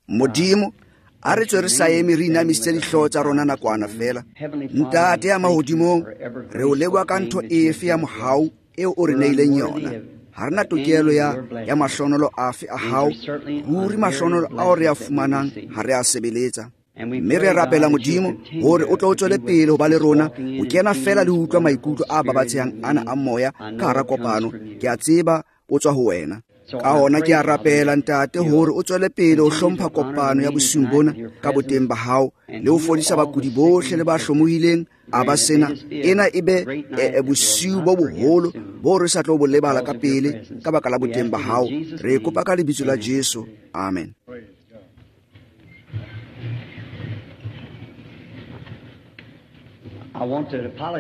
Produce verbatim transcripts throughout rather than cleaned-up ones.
Modimo a re tswe re sa eme re inamisitse dihlooho tsa rona nakwana fela. Ntate ya mahodimong, re o leboha ka ntho efe ya mohau eo o re neileng yona. Ha re na tokelo ya ya mahlonolo afe a hao, ruri mahlonolo ao re a fumanang ha re a sebeletsa. Mme re rapela Modimo hore o tlo o tswele pele ho ba le rona, o kena fela le ho utlwa maikutlo a babatsehang ana a moya ka hara kopano. Ke a tseba o tswa ho wena. Ka hona ke a rapela ntate hore o tswele pele ho hlompha kopano ya bosiung bona ka boteng ba hao, le ho fodisa bakudi bohle le ba hlomohileng a ba sena. Ena e be e, bosiu bo boholo bo re sa tlo bo lebala ka pele ka baka la boteng ba hao. Re kopa ka lebitso la Jesu, amen.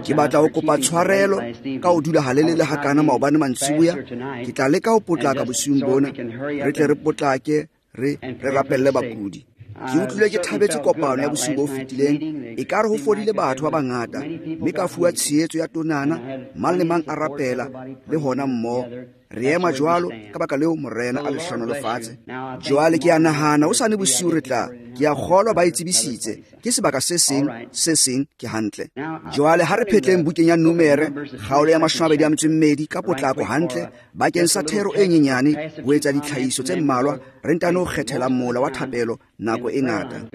Ke batla ho kopa tshwarelo ka ho dula halelele hakana maobane mantsiboya. Ke tla leka ho potlaka bosiung bona, re tle re potlake re re rapelle bakudi. Ke utlwile ke thabetse kopano ya bosiu bo fetileng, ekare ho fodile batho ba bangata, mme ka fuwa tshehetso ya tonana, mang le mang a rapela le hona mmoho. Re ema jwalo ka baka leo Morena a le hlohonolofatse. Jwale ke a nahana hosane bosiu re tla, ke a kgolwa ba e tsebisitse, ke sebaka se seng se seng ke hantle. Jwale ha re phetleng bukeng ya Numere kgaolo ya mashome a mabedi a metso e mmedi ka potlako hantle bakeng sa thero e nyenyane ho etsa ditlhahiso tse mmalwa, re ntano kgethela mola wa thapelo nako e ngata.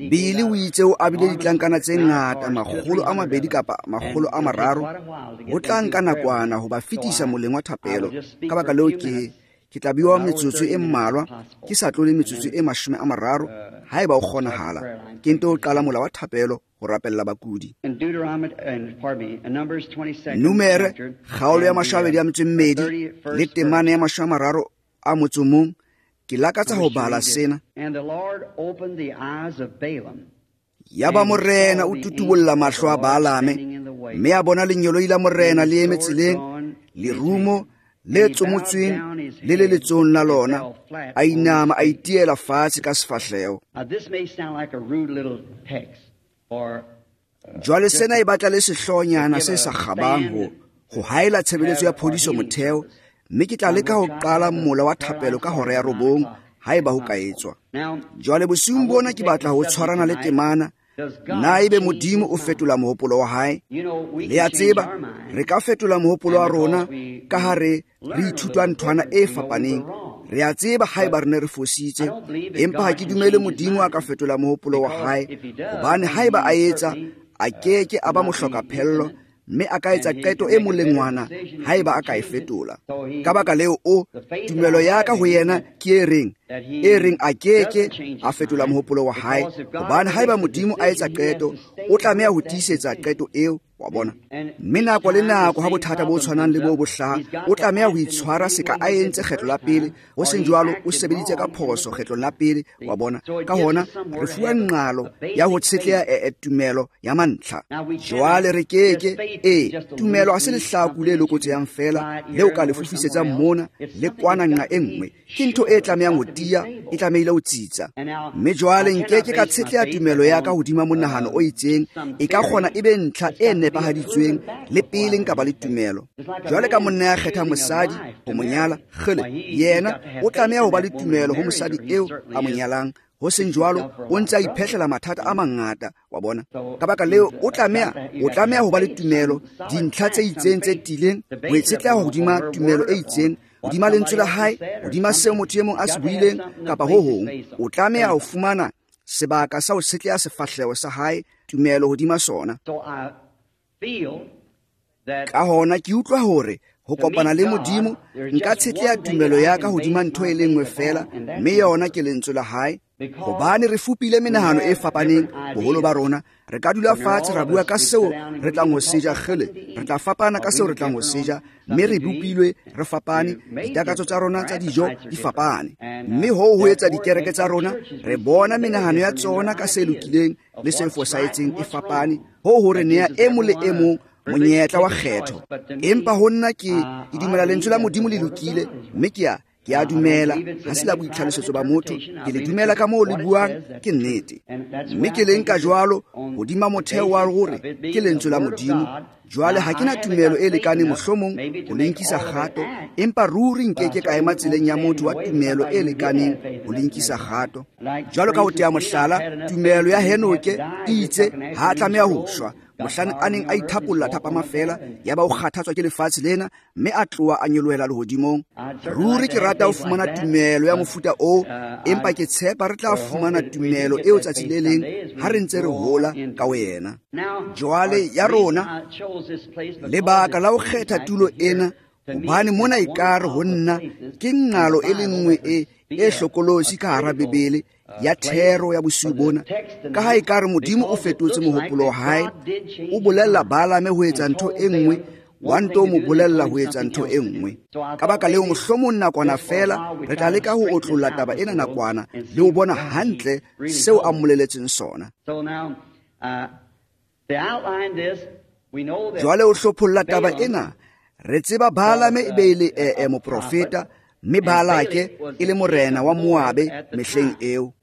Billy o itse o abile ditlankana tse ngata, makgolo a mabedi kapa makgolo a mararo, ho tla nka nakwana ho ba fetisa moleng wa thapelo. Ka baka leo ke ke tla bua metsotso e mmalwa, ke sa tlole metsotso e mashome a mararo haeba o kgonahala. Ke nto qala mola wa thapelo ho rapella bakudi. Numere kgaolo ya mashome a mabedi a metso e mmedi le temana ya mashome a mararo a motso mong. Ke lakatsa ho bala sena. Yaba Morena o tutubolla mahlo a Balaame, mme a bona lengeloi la Morena le eme tseleng, lerumo le tsomotsweng le le letsohong la lona. A inama a itiela fatshe ka sefahleho. Jwale sena e batla le sehloohonyana se sa kgabang ho ho haela tshebeletso ya phodiso motheo, mme ke tla leka ho qala mola wa thapelo ka hora ya robong haeba ho ka etswa. Jwale bosiung bona ke batla ho tshwarana le temana. Na ebe Modimo o fetola mohopolo wa hae? Le a tseba, re ka fetola mohopolo wa rona ka ha re re ithutwa nthwana e fapaneng. Re a tseba haeba re ne re fositse, empa ha ke dumele Modimo a ka fetola mohopolo wa hae, hobane haeba a etsa, a keke a ba mohlokaphello, mme a ka etsa qeto e molengwana haeba a ka e fetola. Ka baka leo o tumelo ya ka ho yena ke e reng, e reng a keke a fetola mohopolo wa hae, hobane haeba Modimo a etsa qeto, o tlameha ho tiisetsa qeto eo, wa bona. Mme nako le nako ha bothata bo tshwanang le bo bo hlaha, o tlameha ho itshwara seka a entse kgetlo la pele, ho seng jwalo o sebeditse ka phoso kgetlong la pele, wa bona. Ka hona re fuwa nqalo ya ho tshetleha e, e tumelo ya mantlha. Jwale re keke, e tumelo ha se lehlaku le lokotsehang fela leo ka le fofisetsang mona le kwana nqa e nngwe, ke ntho e tlamehang ho tiya, e tlamehile ho tsitsa. Mme jwale nkeke ka tshetleha tumelo ya ka hodima monahano o itseng, e ka kgona e be ntlha e nepahaditsweng le pele nka ba le tumelo. Jwale ka monna ya kgetha mosadi ho mo nyala, kgele yena o tlameha ho ba le tumelo ho mosadi eo a mo nyalang, ho seng jwalo o ntse a iphehlela mathata a mangata, wa bona. Ka baka leo o tlameha o tlameha ho ba le tumelo, dintlha tse itseng tse tiileng, ho itshetleha hodima tumelo e itseng, hodima lentswe la hae, hodima seo motho e mong a se buileng kapa ho hong. O tlameha ho fumana sebaka sa ho tshetleha sefahleho sa hae, tumelo hodima sona. Ka hona ke utlwa hore ho kopana le Modimo nka tshetleha tumelo ya ka hodima ntho e le nngwe fela, mme yona ke lentswe la hae. Hobane re fupile menahano e fapaneng boholo ba rona, re ka dula fatshe ra bua ka seo re tlang ho seja, kgele re tla fapana ka seo re tlang ho seja, mme re bopilwe re fapane, ditakatso tsa rona tsa dijo di fapane, mme hoo ho etsa dikereke tsa rona re bona menahano ya tsona ka se lokileng le se fosahetseng e fapane, hoo ho re nea e mong le e mong monyetla wa kgetho. Empa ho nna ke ke dumela lentswe la Modimo le lokile, mme ke a Ke a dumela ha se la boitlhalosetso ba motho, ke le dumela ka moo le buang ke nnete. Mme ke le nka jwalo hodima motheo wa hore ke lentswe la Modimo. Jwale ha ke na tumelo e lekaneng mohlomong ho le nkisa kgato, empa ruri nkeke ka ema tseleng ya motho wa tumelo e lekaneng ho le nkisa kgato. Jwalo ka ho tea mohlala, tumelo ya Henoke e itse ha a tlameha ho shwa mohlang a neng a ithapolla thapama feela, yaba o kgathatswa ke lefatshe lena mme a tloha a nyolohela lehodimong. Ruri ke rata ho fumana tumelo ya mofuta oo, empa ke tshepa re tla fumana tumelo eo tsatsi le leng ha re ntse re hola ka wena. Jwale ya rona lebaka la ho kgetha tulo ena, hobane mona ekare ho nna ke nqalo e le nngwe e e hlokolosi ka hara Bibele ya thero ya bosiu bona, ka ha ekare Modimo o fetotse mohopolo wa hae, o bolella Balame ho etsa ntho e nngwe, wa nto mo bolella ho etsa ntho e nngwe. Ka baka leo mohlomong nakwana feela re tla leka ho otlolla taba ena nakwana le ho bona hantle seo a mmoleletseng sona. Jwale o hlopholla taba ena, re tseba Balame e be e le e moprofeta, mme Balake e le morena wa Moabe mehleng eo.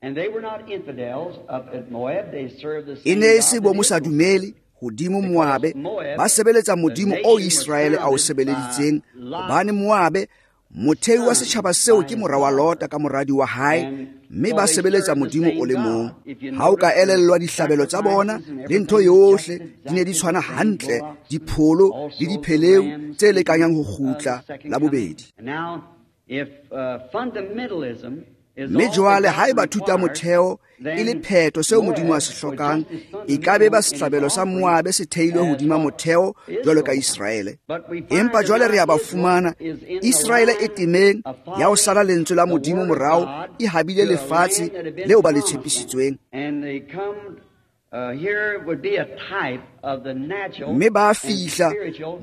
E ne e se bo mosadumele hodimo Moabe, ba sebeletsa Modimo o Iseraele a o sebeleditseng, hobane Moabe mothei wa setjhaba seo ke mora wa Lota ka moradi wa hae, mme ba sebeletsa Modimo o le mong. Ha o ka elellwa dihlabelo tsa bona le ntho yohle di ne di tshwana hantle, dipholo le dipheleu tse lekanyang ho kgutla la bobedi. Mme jwale haeba thuta motheo e le phetho seo Modimo a se hlokang, e ka be ba sehlabelo sa Moabe se theilwe hodima motheo jwalo ka Iseraele. Empa jwale re a ba fumana Iseraele e temeng ya ho sala lentswe la Modimo morao, e habile lefatshe leo ba le tshepisitsweng. Mme ba fihla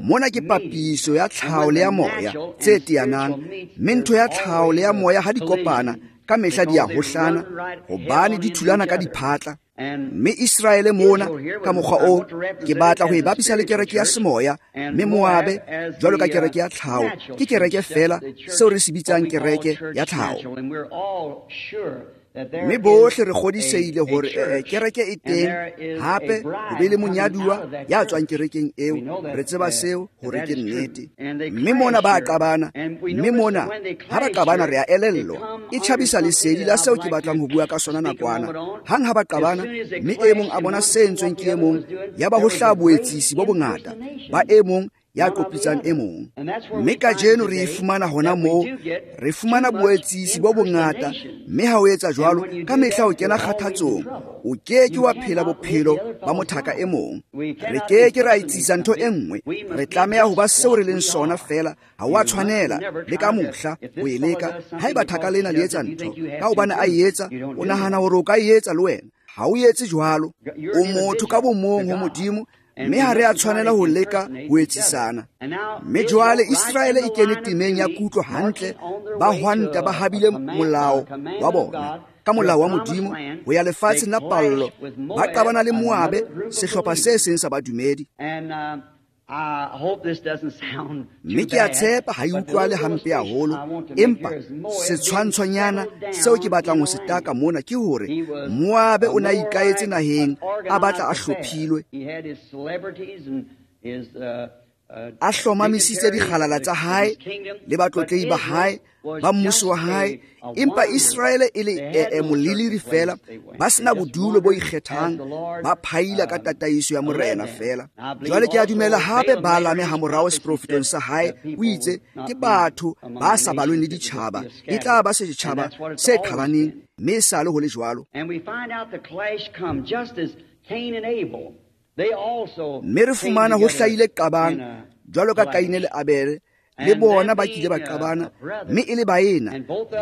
mona ke papiso ya tlhaho le ya moya tse teanang, mme ntho ya tlhaho le ya moya ha di kopana ka mehla di a hohlana, hobane di thulana ka diphatla. Mme Iseraele mona ka mokgwa o ke batla ho e bapisa le kereke ya semoya, mme Moabe jwalo ka kereke ya tlhaho ke kereke feela seo re se bitsang kereke ya tlhaho. Mme bohle re kgodisehile hore kereke e teng, hape ho be le monyaduwa ya tswang kerekeng eo, re tseba seo hore ke nnete. Mme mona ba qabana, mme mona ha ba qabana re a elellwa, e tjhabisa lesedi la seo ke batlang ho bua ka sona nakwana. Hang ha ba qabana, mme e mong a bona se entsweng ke e mong, ya ba ho hlaha boetsisi bo bongata ba e mong ya kopitsang e mong. Mme kajeno re e fumana hona moo, re fumana boetsisi bo bongata, mme ha o etsa jwalo ka mehla o kena kgathatsong, o ke ke wa phela bophelo ba mothaka e mong. Re ke ke ra etsisa ntho e nngwe, re tlameha ho ba seo re leng sona feela. Ha o a tshwanela le ka mohla ho e leka. Haeba thaka lena le etsa ntho ka hobane a e etsa, o nahana hore o ka e etsa le wena. Ha o etse jwalo, o motho ka bomong ho Modimo, mme ha re a tshwanela ho leka ho etsisana. Mme jwale Iseraele e kene temeng ya kutlo hantle, ba hwanta ba habile molao wa bona ka molao wa Modimo ho ya lefatsheng la pallo, ba qabana le Moabe, sehlopha se seng sa badumedi. Mme ke a tshepa ha e utlwale hampe haholo, empa setshwantshonyana seo ke batlang ho se taka mona ke hore Moabe o ne a ikaetse naheng, a batla a hlophilwe, a hlomamisitse dikgalala tsa hae le batlotlehi ba hae ba mmuso wa hae, empa Iseraele e le e moleliri feela, ba sena bodulo bo ikgethang, ba phaila ka tataiso ya morena feela. Jwale ke a dumela hape Balame ha morao seprofetong sa hae o itse ke batho ba sa balweng le ditjhaba, e tla ba setjhaba se qhalaneng, mme e sale ho le jwalo. Mme re fumana ho hlahile qabang jwalo ka Kaine le Abele, le bona ba kile ba qabana, mme e le baena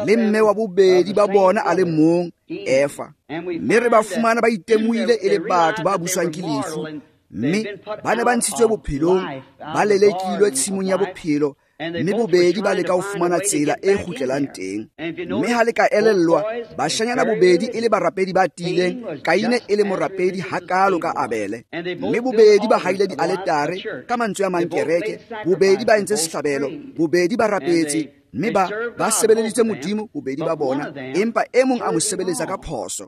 le mme wa bobedi ba bona a le mong, Efa. Mme re ba fumana ba itemohile e le batho ba buswang ke lefu, mme ba ne ba ntshitswe bophelong, ba lelekilwe tshimong ya bophelo, mme bobedi ba leka ho fumana tsela e kgutlelang teng. Mme ha le ka elellwa, bashanyana bobedi e le barapedi ba tiileng, Kaine e le morapedi hakalo ka Abele. Mme bobedi ba haile dialetare, ka mantswe a mang kereke, bobedi ba entse sehlabelo, bobedi ba rapetse, Mme ba ba sebeleditse Modimo bobedi ba bona, empa e mong a mo sebeletsa ka phoso.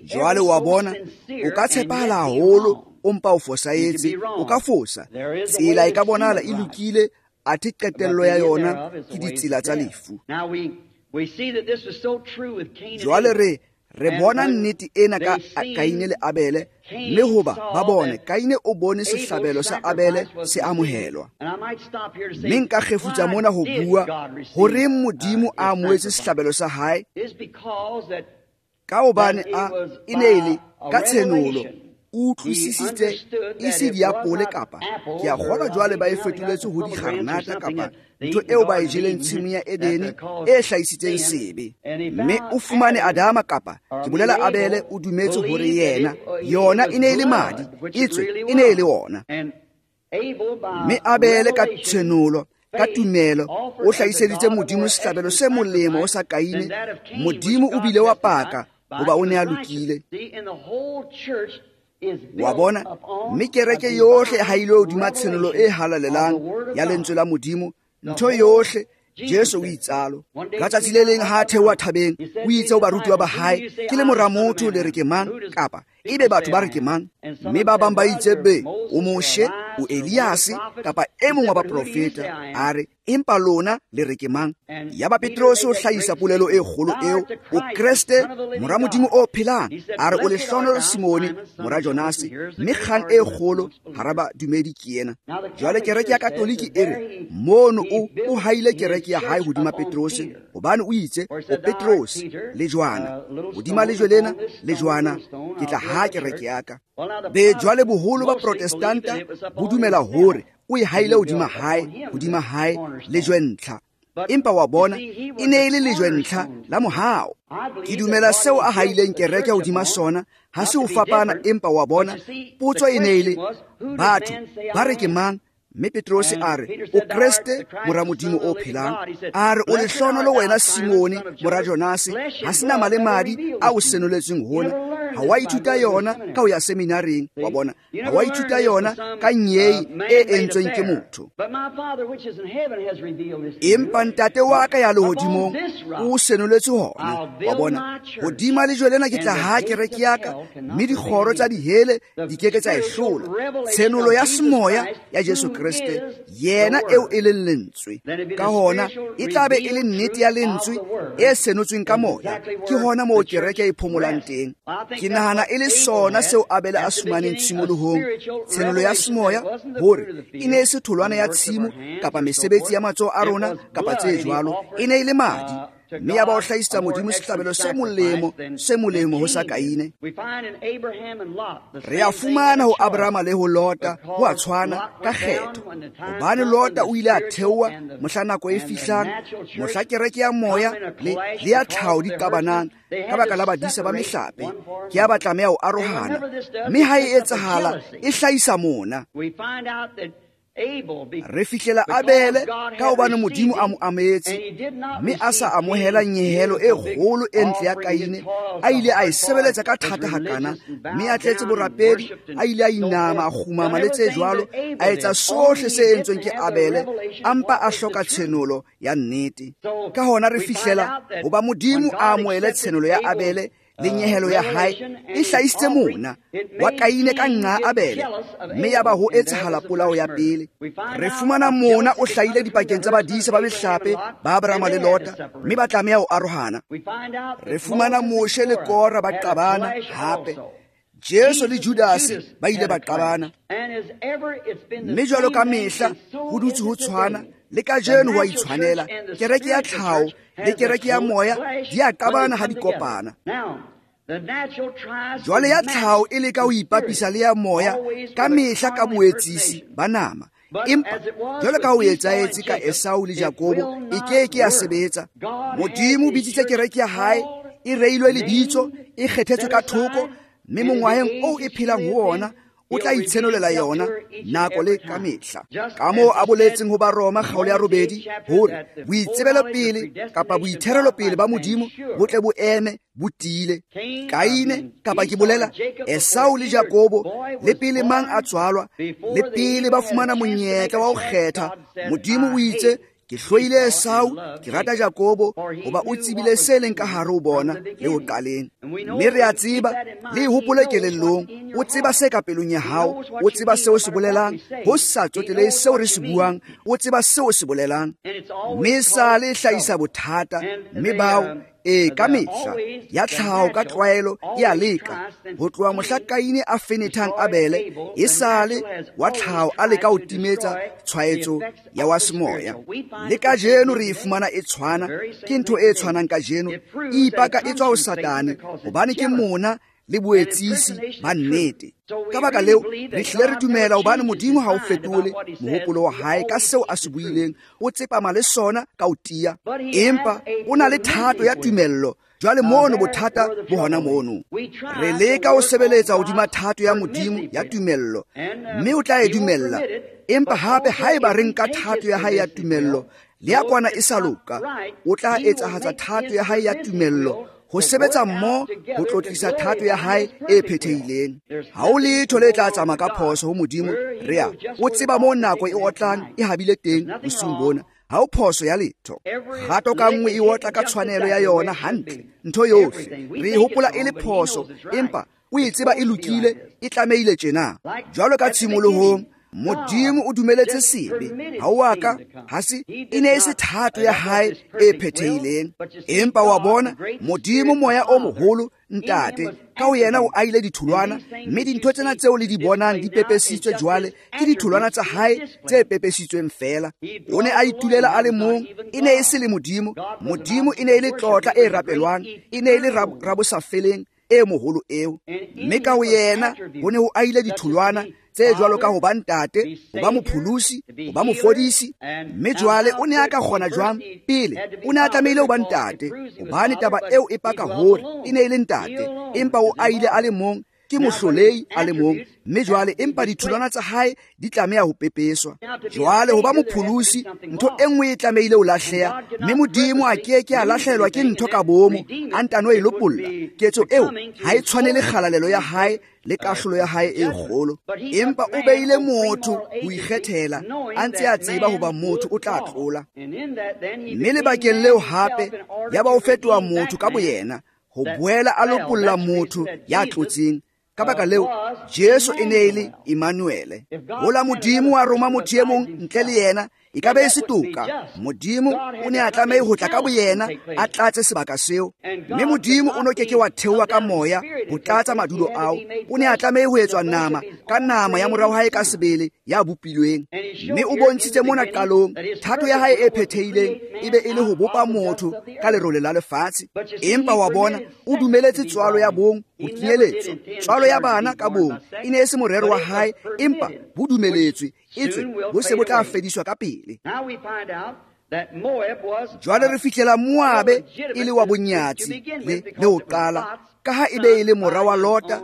Jwale wa bona, o ka tshepahala haholo, o mpa o fosahetse, o ka fosa. Tsela e ka bonahala e lokile, athe qetello ya yona ke ditsela tsa lefu. Jwale re re bona nnete ena ka Kaine le Abele, mme hoba ba bone Kaine o bone sehlabelo sa Abele se amohelwa. Mme nka kgefutsa mona ho bua horeng Modimo a amohetse sehlabelo sa hae, ka hobane a e ne e le ka tshenolo o utlwisisitse e se diapole kapa ke a kgolwa jwale ba e fetoletse ho dikgarenata kapa ntho eo ba e jeleng tshimong ya Edene e hlahisitseng sebe. Mme o fumane Adama kapa ke bolela Abele o dumetse hore yena yona e ne e le madi, etswe e ne e le ona. Mme Abele ka tshenolo, ka tumelo, o hlahiseditse Modimo sehlabelo se molemo sa Kaine. Modimo o bile wa paka hoba o ne a lokile. Wa bona, mme kereke yohle ha ile hodima tshenolo e halalelang ya lentswe la Modimo, ntho yohle Jesu o itsalo. Ka tsatsi le leng ha a theoha thabeng, o itse ho barutiwa ba hae, ke le mora motho le re ke mang, kapa ebe batho ba re ke mang? Mme ba bang ba itse be o Moshe, o Eliase, kapa e mong wa baprofeta. A re, empa lona le re ke mang? Yaba Petrose o hlahisa polelo e kgolo eo, o Kreste, mora Modimo o phelang. A re, o lehlohonolo Simone, mora Jonase, mme kgang e kgolo hara badumedi ke ena. Jwale kereke ya Katoliki e re, mono o o haile kereke ya hae hodima Petrose, hobane o itse, o Petrose, lejwana, hodima lejwe lena, lejwana, ke tla ha kereke ya ka. Be jwale boholo ba Protestanta bo dumela hore o e haile hodima hae, hodima hae lejwe ntlha. Empa wa bona, e ne e le lejwe ntlha la mohao. Ke dumela seo a haileng kereke hodima sona, ha se ho fapana, empa wa bona, potso e ne e le, batho ba re ke mang? Mme Petrose a re, o Kreste, mora Modimo o phelang. A re, o lehlohonolo wena Simone, mora Jonase, ha se nama le madi a o senoletsweng hona. Ha wa ithuta yona ka ho ya seminareng, wa bona. Ha wa ithuta yona ka nyei e entsweng ke motho. Empa ntate wa ka ya lehodimong o senoletse hona, wa bona. Hodima lejwe lena ke tla ha kereke ya ka, mme dikgoro tsa dihele di ke ke tsa e hlola. Tshenolo ya semoya ya Jesu Kreste, yena eo e leng lentswe. Ka hona e tla be e le nnete ya lentswe e senotsweng ka moya. Ke hona moo kereke e phomolang teng. Ke nahana e le sona seo Abele a fumaneng tshimolohong, tshenolo ya semoya, hore e ne e se tholwana ya tshimo kapa mesebetsi ya matsoho a rona kapa tse jwalo, e ne e le madi. Mme ya ba o hlahisetsa Modimo sehlabelo se molemo, se molemo ho sa Kaine. Re a fumana ho Abrahama le ho Lota ho a tshwana ka kgetho, hobane Lota o ile a theoha mohla nako e fihlang, mohla kereke ya moya le le ya tlhaho di qabanang ka baka la badisa ba mehlape, ke ya ba tlameha ho arohana. Mme ha e etsahala, e hlahisa mona. Re fihlela Abele ka hobane Modimo a mo amohetse, mme a sa amohela nyehelo e kgolo e ntle ya Kaine, a ile a e sebeletsa ka thata hakana, mme a tletse borapedi, a ile a inama, a kgumama le tse jwalo, a etsa sohle se entsweng ke Abele, a mpa a hloka tshenolo ya nnete. Ka hona re fihlela hoba Modimo a amohele tshenolo ya Abele le nyehelo ya hae, e hlahisitse mona wa Kaine ka nqa Abele, mme ya ba ho etsahala polao ya pele. Re fumana mona o hlahile dipakeng tsa badisa ba mehlape ba Abrahama le Lota, mme ba tlameha ho arohana. Re fumana Moshe le Kora ba qabana hape. Jesu le Judase ba ile ba qabana. Mme jwalo ka mehla ho dutse ho tshwana, le kajeno ho a itshwanela. Kereke ya tlhaho le kereke ya moya di a qabana ha di kopana. Jwale ya tlhaho e leka ho ipapisa le ya moya ka mehla ka boetsisi ba nama. Empa jwalo ka ho etsahetse ka Esau le Jakobo, e ke ke ya sebetsa. Modimo o bitsitse kereke ya hae, e reilwe lebitso, e kgethetswe ka thoko, mme mongwaheng oo e phelang ho ona o tla itshenolela yona nako le ka mehla. Ka moo a boletseng ho Baroma kgaolo ya robedi hore boitsebelopele kapa boitherelopele ba Modimo bo tle bo eme bo tiile. Kaine kapa ke bolela Esau le Jakobo, le pele mang a tswalwa, le pele ba fumana monyetla wa ho kgetha, Modimo o itse Ke hloile Esau, ke rata Jakobo, hoba o tsebile se leng ka hare ho bona le ho qaleng. Mme re a tseba, le e hopole kelellong, o tseba se ka pelong ya hao, o tseba seo se bolelang, ho sa tsotelehe seo re se buang, o tseba seo se bolelang. Mme sale e hlahisa bothata, mme bao e ka mehla ya tlhaho ka tlwaelo e a leka ho tloha mohla Kaine a fenethang Abele, e sale wa tlhaho a leka ho timetsa tshwaetso ya wa semoya. Le kajeno re e fumana e tshwana, ke ntho e tshwanang kajeno, e ipaka e tswa ho Satane, hobane ke mona le boetsisi ba nnete. Ka baka leo re hlile re dumela hobane Modimo ha o fetole mohopolo wa hae ka seo a se buileng, o tsepama le sona ka ho tiya, empa o na le thato ya tumello. Jwale mono bothata bo hona mono. Re leka ho sebeletsa hodima thato ya Modimo ya tumello, mme o tla e dumella, empa hape haeba re nka thato ya hae ya tumello le ya kwana e sa loka, o tla etsahatsa thato ya hae ya tumello ho sebetsa mmoho ho tlotlisa thato ya hae e phethehileng. Ha ho letho le tla tsamaya ka phoso ho Modimo. Re a o tseba moo nako e otlang e habile teng bosiung bona. Ha ho phoso ya letho. Kgato ka nngwe e otla ka tshwanelo ya yona hantle, ntho yohle re e hopola e le phoso, empa o e tseba e lokile, e tlamehile tjena. Jwalo ka tshimolohong, Modimo o dumeletse sebe, ha o a ka ha se e ne e se thato ya hae e phethehileng, empa wa bona Modimo moya o moholo Ntate ka ho yena o aile ditholwana, mme dintho tsena tseo le di bonang di pepesitswe jwale ke ditholwana tsa hae tse pepesitsweng feela. O ne a itulela a le mong, e ne e se le Modimo. Modimo e ne e le tlotla e rapelwang, e ne e le rabosafeleng e moholo eo, mme ka ho yena ho ne ho aile ditholwana tse jwalo ka ho ba ntate, ho ba mopholosi, ho ba mofodisi. Mme jwale o ne a ka kgona jwang? Pele o ne a tlamehile ho ba ntate, hobane taba eo e paka hore e ne e le ntate, empa o aile a le mong, ke mohlolei a le mong. Mme jwale empa ditholwana tsa hae di tlameha ho pepeswa. Jwale ho ba mopholosi, ntho e nngwe e tlamehile ho lahleha, mme Modimo a ke ke a lahlehelwa ke ntho ka bomo, a ntano e lopolla. Ketso eo ha e tshwane le kgalalelo ya hae le kahlolo ya hae e kgolo, empa o beile motho ho ikgethela, a ntse a tseba hoba motho o tla tlola. Mme lebakeng leo hape ya ba o fetoha motho ka boyena, ho boela a lopolla motho ya tlotseng. Ka baka leo Jesu e ne e le Emmanuele. Hola Modimo wa roma motho e mong ntle le yena, e ka be e se toka. Modimo o ne a tlameha ho tla ka boyena, a tlatse sebaka seo, mme Modimo o no ke ke wa theoha ka moya ho tlatsa madulo ao. O ne a tlameha ho etswa nama ka nama ya morao hae ka sebele ya bopilweng. Mme o bontshitse mona qalong thato ya hae e phethehileng e be e le ho bopa motho ka lerole la lefatshe, empa wa bona o dumeletse tswalo ya bong ho kenyeletswa. Tswalo ya bana ka bong e ne e se morero wa hae, empa bo dumeletswe, etswe bo se bo tla fediswa ka pele. Jwale re fihlela Moabe e le wa bonyatsi le le ho qala, ka ha e be e le mora wa Lota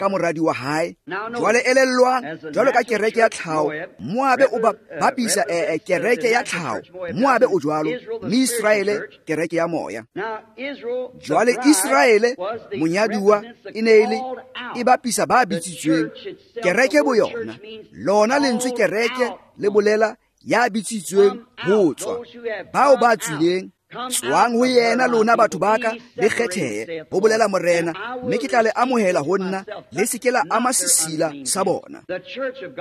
ka moradi wa hae. Jwale elellwang, jwalo ka kereke ya tlhaho, Moabe o bapisa eh, kereke ya tlhaho, Moabe o jwalo, mme Israele kereke ya moya. Jwale Israele monyaduwa e ne e le e bapisa ba bitsitsweng, kereke bo yona. Lona lentswe kereke le bolela ya bitsitsweng ho tswa, bao ba tswileng. Tswang ho yena lona batho ba ka, le kgethehe, ho bolela Morena, mme ke tla le amohela ho nna, le se ke la ama sesila sa bona.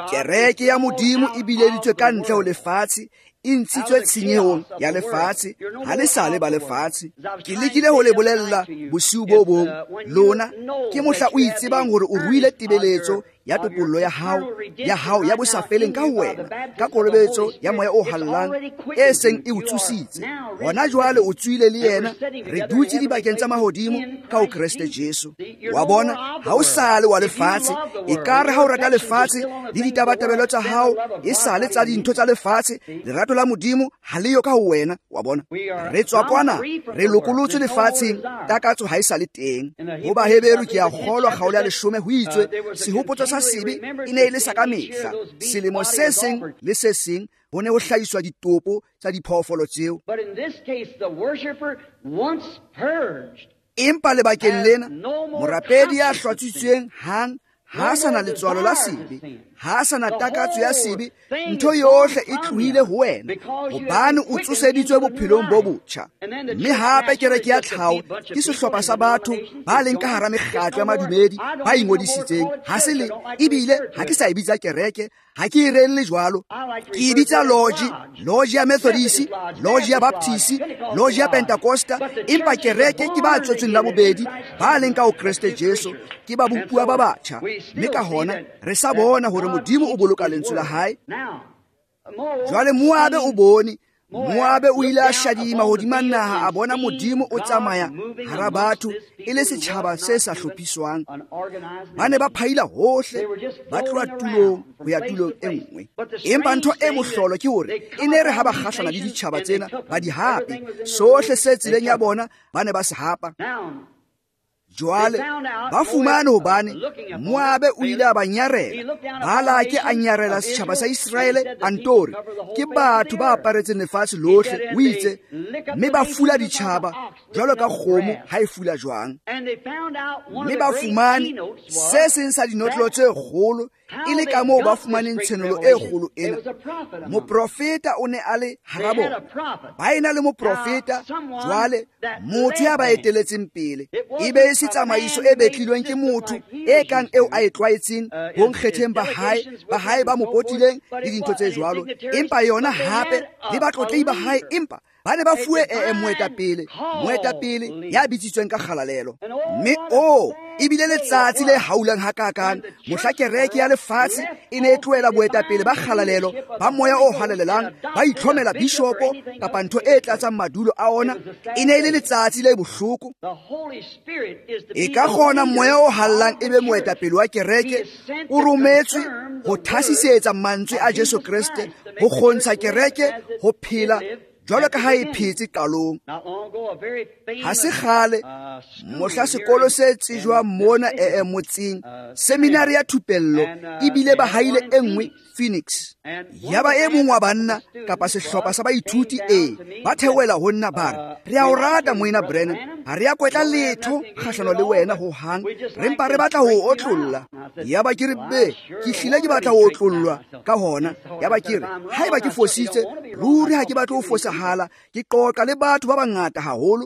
Kereke ya Modimo e bileditswe ka ntle ho lefatshe, e ntshitswe tshenyehong ya lefatshe, ha le sa le ba lefatshe. Ke lekile ho le bolella bosiu bo bong, lona ke mohla o itsebang hore o ruile tebeletso ya topollo ya hao, ya hao ya bosafeleng ka ho wena, ka kolobetso ya moya o hallang e seng e o tsositse. Hona jwale o tswile le yena, re dutse dibakeng tsa mahodimo ka ho Kreste Jesu. Wa bona, ha o sa le wa lefatshe, ekare ha o rata lefatshe le ditabatabelo tsa hao e sa le tsa dintho tsa lefatshe, lerato la Modimo ha le yo ka ho wena. Wa bona, re tswa kwana, re lokolotswe lefatsheng, takatso ha e sa le teng. Ho Baheberu ke a kgolwa kgaolo ya leshome ho itswe sehopotso sa sebe e ne e le sa ka mehla, selemo se seng le se seng ho ne ho hlahiswa ditopo tsa diphoofolo tseo. Empa lebakeng lena morapedi ya hlwatswitsweng hang Ha a sa na letswalo la sebe, ha a sa na takatso ya sebe, ntho yohle e tlohile ho wena, hobane o tsoseditswe bophelong bo botjha. Mme hape kereke ya tlhaho ke sehlopha sa batho ba leng ka hara mekgatlo ya madumedi ba ingodisitseng. Ha se le, ebile ha ke sa e bitsa kereke, ha ke e reelle jwalo, ke e bitsa lodge, lodge ya Methodist, lodge ya Baptist, lodge ya Pentecosta, empa kereke ke ba tswetsweng la bobedi, ba leng ka ho Kreste Jesu, ke ba bopuwa ba batjha. Mme ka hona re sa bona hore Modimo o boloka lentswe la hae. Jwale Moabe o bone, Moabe o ile a shadima hodima naha, a bona Modimo o tsamaya hara batho e le setjhaba se sa hlophiswang. Ba ne ba phaila hohle, ba tloha tulong ho ya tulong e nngwe. Empa ntho e mohlolo ke hore e ne re ha ba kgahlana le ditjhaba tsena, ba di hape. Sohle se tseleng ya bona ba ne ba se hapa. Jwale ba fumane hobane Moabe o ile a ba nyarela, Balake a nyarela setjhaba sa Iseraele a nto re ke batho ba aparetseng lefatshe lohle, o itse, mme ba fula ditjhaba jwalo ka kgomo ha e fula jwang. Mme ba fumane se seng sa dinotlolo tse kgolo e le ka moo ba fumaneng tshenolo e kgolo ena. Moprofeta o ne a le hara bona, ba ena le moprofeta, jwale motho ya ba eteletseng pele, e be e se tsamaiso e betlilweng ke motho e kang eo a e tlwaetseng bo nkgetheng ba hae, ba hae ba mo potileng le dintho tse jwalo, empa yona hape le batlotlehi ba hae, empa ba ne ba fuwe ee moetapele, moetapele ya bitsitsweng ka kgalalelo. Mme o ebile letsatsi le haulang hakakang mohla kereke ya lefatshe e ne e tlohela boetapele ba kgalalelo ba moya o halalelang, ba itlhomela bishopo kapa ntho e tlatsang madulo a ona. E ne e le letsatsi le bohloko. E ka kgona moya o hallang e be moetapele wa kereke, o rometswe ho thasisetsa mantswe a Jesu Kreste, ho kgontsha kereke ho phela jwalo ka ha e phetse qalong. Ha se kgale mohla sekolo se tsejwang mona ee motseng, seminari ya thupello, ebile ba haile e nngwe Phoenix. Yaba e mong wa banna kapa sehlopha sa baithuti e ba theohela ho nna ba re, re a o rata moena Branham, ha re a kwetla letho kgahlano le wena ho hang, re mpa re batla ho otlolla. Yaba ke re, be, ke hlile ke batla ho otlollwa ka hona. Yaba ke re, haeba ke fositse, ruri ha ke batle ho fosahala, ke qoqa le batho ba bangata haholo.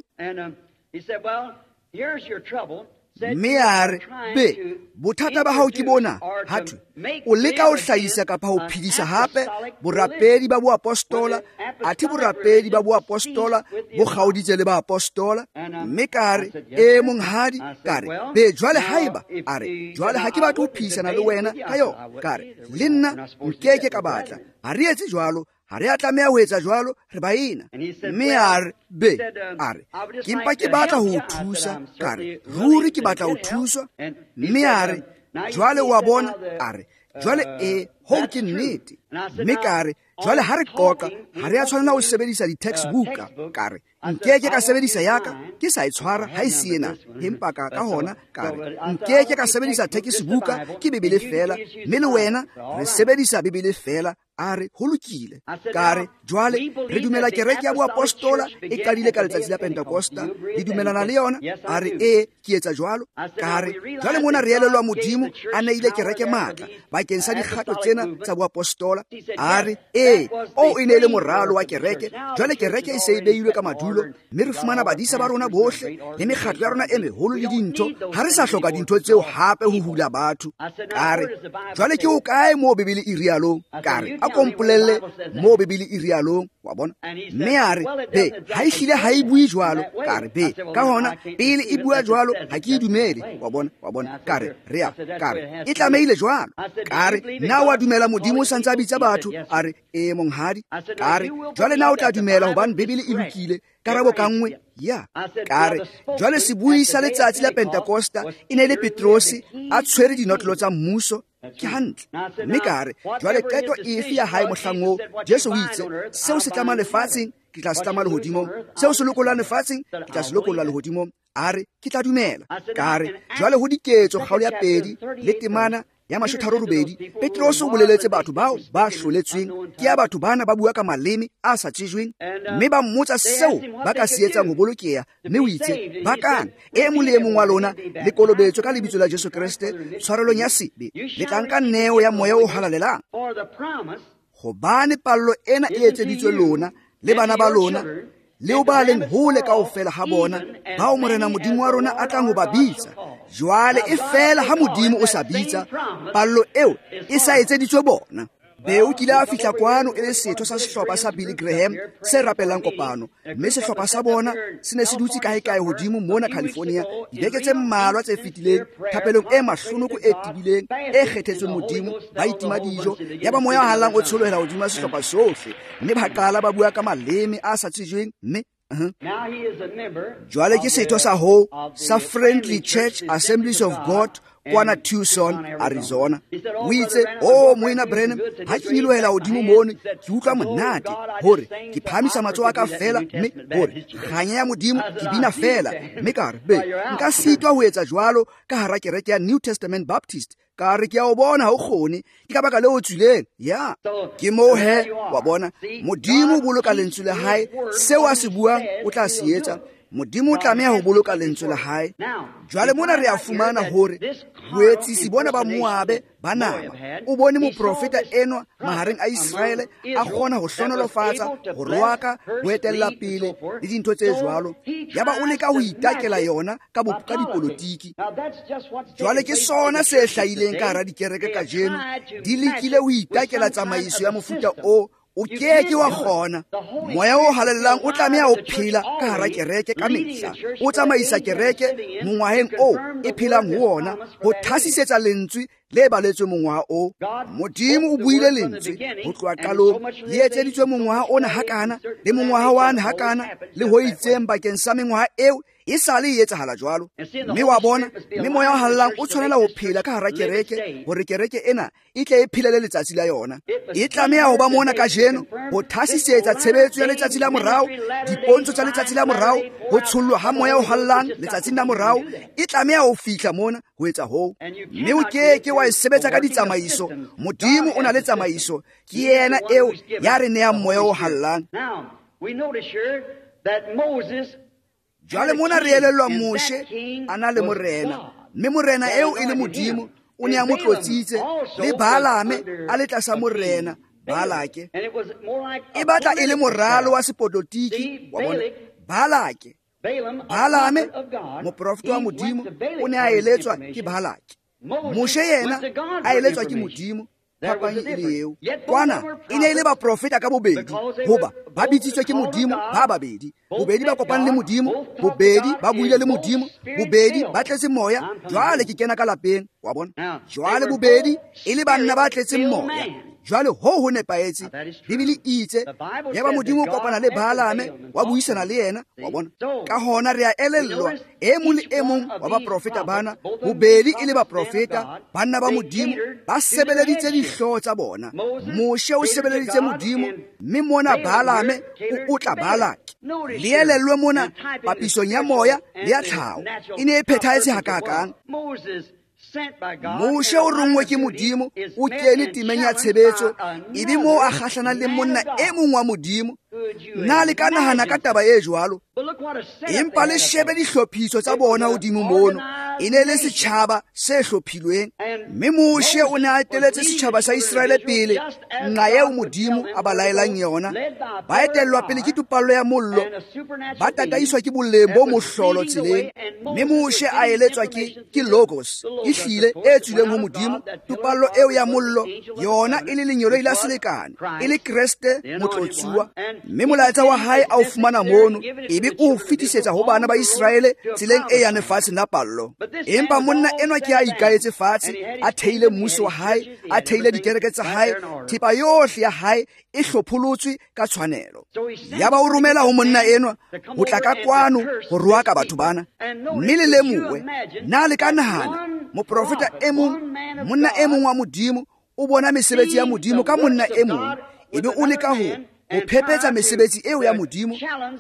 Mme a re, be, bothata ba hao ke bona, ha thwe, o leka ho hlahisa kapa ho phedisa hape borapedi ba boapostola, athe borapedi ba boapostola bo kgaoditse le baapostola. Mme ka re, e monghadi, ka re, be, jwale haeba, a re, jwale ha ke batle ho phehisana le wena ka yona, ka re, le nna nkeke ka batla, ha re etse jwalo, ha re a tlameha ho etsa jwalo, re baena. Mme a re, be, a re, ke mpa ke batla ho o thusa, ka re, ruri ke batla ho thuswa. Mme a re, jwale wa bona, a re, jwale e, hoo ke nnete. Mme ka re, jwale ha re qoqa, ha re a tshwanela ho sebedisa di-textbook, ka re, nkeke ka sebedisa yaka, ke sa e tshwara ha e se ena, empa ka ka hona ka re, nkeke ka sebedisa textbook, ke Bibele fela, mme le wena re sebedisa Bibele fela. A re, ho lokile. Ka re, jwale re dumela kereke ya boapostola e qadile ka letsatsi la Pentekosta, le dumelana le yona? A re, ee, ke etsa jwalo. Ka re, jwale mona re elellwa Modimo a neile kereke matla bakeng sa dikgato tsena tsa boapostola. A re, ee, oo e ne e le moralo wa kereke. Jwale kereke e se e beilwe ka madulo, mme re fumana badisa ba rona bohle le mekgatlo ya rona e meholo le dintho. Ha re sa hloka dintho tseo hape ho hula batho. Ka re, jwale ke ho kae moo Bibele e rialong? Ka re, a kompolelle moo Bibele e rialong, wa bona. Mme a re, be, ha e hlile ha e bue jwalo. Ka re, be, ka hona pele e bua jwalo ha ke e dumele, wa bona, wa bona. Ka re, re a, ka re, e tlamehile jwalo. Ka re, na wa dumela Modimo o sa ntse a bitsa batho? A re, ee monghadi. Ka re, jwale na o tla dumela hobane Bibele e lokile? Karabo ka nngwe, ya. Ka re, jwale sebui sa letsatsi la Pentekosta e ne e le Petrose a tshwere dinotlolo tsa mmuso. Ke hantle. Mme ka re, jwale qeto efe ya hae mohlang oo? Jesu o itse, seo se tlamang lefatsheng, ke tla se tlama lehodimong, seo se lokollang lefatsheng, ke tla se lokolla lehodimong. A re, ke tla dumela. Ka re, jwale ho Diketso kgaolo ya pedi le temana ya mashotharo robedi, Petrose o boleletse batho bao ba hloletsweng ke ya batho bana ba bua ka maleme a sa tsejweng, mme ba mmotsa seo ba ka se etsang ho bolokeha, mme o itse bakang e mong le e mong wa lona le kolobetswe ka lebitso la Jesu Kreste tshwarelong ya sebe, le tla nka neo ya moya o halalelang. Hobane pallo ena e etseditswe lona le bana ba lona le o ba leng hole kaofela ha bona, bao Morena Modimo wa rona a tlang ho ba bitsa. Jwale e fela ha Modimo o sa bitsa, pallo eo e sa etseditswe bona. Be o kile a fihla kwano e le setho sa sehlopha sa Billy Graham se rapelang kopano, mme sehlopha sa bona se ne se dutse kae-kae hodimo mona California dibeke tse mmalwa tse fetileng, thapelong e mahlonoko e tebileng e kgethetsweng Modimo, ba itima dijo, yaba moya o hallang o tsholohela hodima sehlopha sohle, mme ba qala ba bua ka maleme a sa tsejweng, mme Uh-huh. Jwale ke setho sa ho sa Friendly Church Assemblies of God kwana Tucson, Arizona. O itse, "Oh moena Branham, ha ke nyolohela hodimo mono, ke utlwa monate hore ke phahamisa matsoho a ka fela, mme hore kganya ya Modimo ke bina fela." Mme ka re, "Be, nka sitwa ho etsa jwalo ka hara kereke ya New Testament Baptist." Ka re, ke a o bona ha o kgone, ke ka baka leo o tswileng. Ya, ke moo he, wa bona, Modimo o boloka lentswe la hae, seo a se buang o tla se etsa. Modimo o tlameha ho boloka lentswe la hae. Jwale mona re a fumana hore boetsisi bona ba Moabe ba nama. O bone moprofeta enwa mahareng a Iseraele a kgona ho hlohonolofatsa, ho roaka, ho etella pele le dintho tse jwalo. Yaba o leka ho itakela yona ka bo ka dipolotiki. Jwale ke sona se hlahileng ka hara dikereke kajeno, di lekile ho itakela tsamaiso ya mofuta o o ke ke wa kgona. Moya o halalelang o tlameha ho phela ka hara kereke ka mehla, o tsamaisa kereke mongwaheng o e phelang ho ona, ho thasisetsa lentswe le baletswe mongwaha o. Modimo o buile lentswe ho tloha qalong, le etseditswe mongwaha ona hakana le mongwaha wane hakana le ho itseng bakeng sa mengwaha eo e sale e etsahala jwalo. Mme wa bona, mme moya o hallang o tshwanela ho phela ka hara kereke hore kereke ena e tle e phelele letsatsi la yona. E tlameha ho ba mona kajeno ho thasisetsa tshebetso ya letsatsi la morao, dipontsho tsa letsatsi la morao, ho tshollwa ha moya o hallang letsatsing la morao. E tlameha ho fihla mona ho etsa hoo, mme o ke ke wa e sebetsa ka ditsamaiso. Modimo o na le tsamaiso, ke yena eo ya re nehang moya o hallang. Jwale mona re elellwa Moshe a na le morena, mme morena eo e le Modimo o ne a mo tlotsitse, le Balaame a le tlasa morena Balake. E batla e le moralo wa sepolotiki wa bona. Balake, Balaame moprofeta wa Modimo o ne a eletswa ke Balake, Moshe yena a eletswa ke Modimo. Phapang e le eo. Kwana e ne e le baprofeta ka bobedi, hoba ba bitsitswe ke Modimo ba babedi. Bobedi ba kopane le Modimo, bobedi ba buile le Modimo, bobedi ba tletse moya. Jwale ke kena ka lapeng, wa bona. Jwale bobedi e le banna ba tletseng moya. Jwale ho ho nepahetse. Bibele e itse yaba Modimo o kopana le Balaame, wa buisana le yena, wa bona. Ka hona re a elellwa e mong le e mong wa baprofeta bana, bobedi e le baprofeta, banna ba Modimo, ba sebeleditse dihlooho tsa bona. Moshe o sebeleditse Modimo, mme mona Balaame o otla Balake. Le elellwe mona papisong ya moya le ya tlhaho e ne e phethahetse hakakang. Moshe o rongwe ke Modimo, o kene temeng ya tshebetso, ebe moo a kgahlanang le monna e mong wa Modimo. Nna le ka nahana ka taba e jwalo, empa le shebe dihlophiso tsa bona hodimo mono. E ne le setjhaba se hlophilweng, mme Moshe o ne a eteletse setjhaba sa Iseraele pele nqa eo Modimo a ba laelang yona. Ba etellwa pele ke topallo ya mollo, ba tataiswa ke boleng bo mohlolo tseleng. Mme Moshe a eletswa ke ke logos e hlile e tswileng ho Modimo, topallo eo ya mollo yona e le lengeloi la selekane, e le Kreste motlotsuwa. Mme molaetsa wa hae a o fumana mono, ebe o fetisetsa ho bana ba Iseraele tseleng e yang lefatsheng la pallo. Empa monna enwa ke a ikaetse fatshe, a theile mmuso wa hae, a theile dikereke tsa hae, thepa yohle ya hae e hlopholotswe ka tshwanelo. Yaba o romela ho monna enwa ho tla ka kwano ho roaka batho bana. Mme le lemohe, na le ka nahana moprofeta e mong, monna e mong wa Modimo o bona mesebetsi ya Modimo ka monna e mong, ebe o leka ho ho phepetsa mesebetsi eo ya Modimo,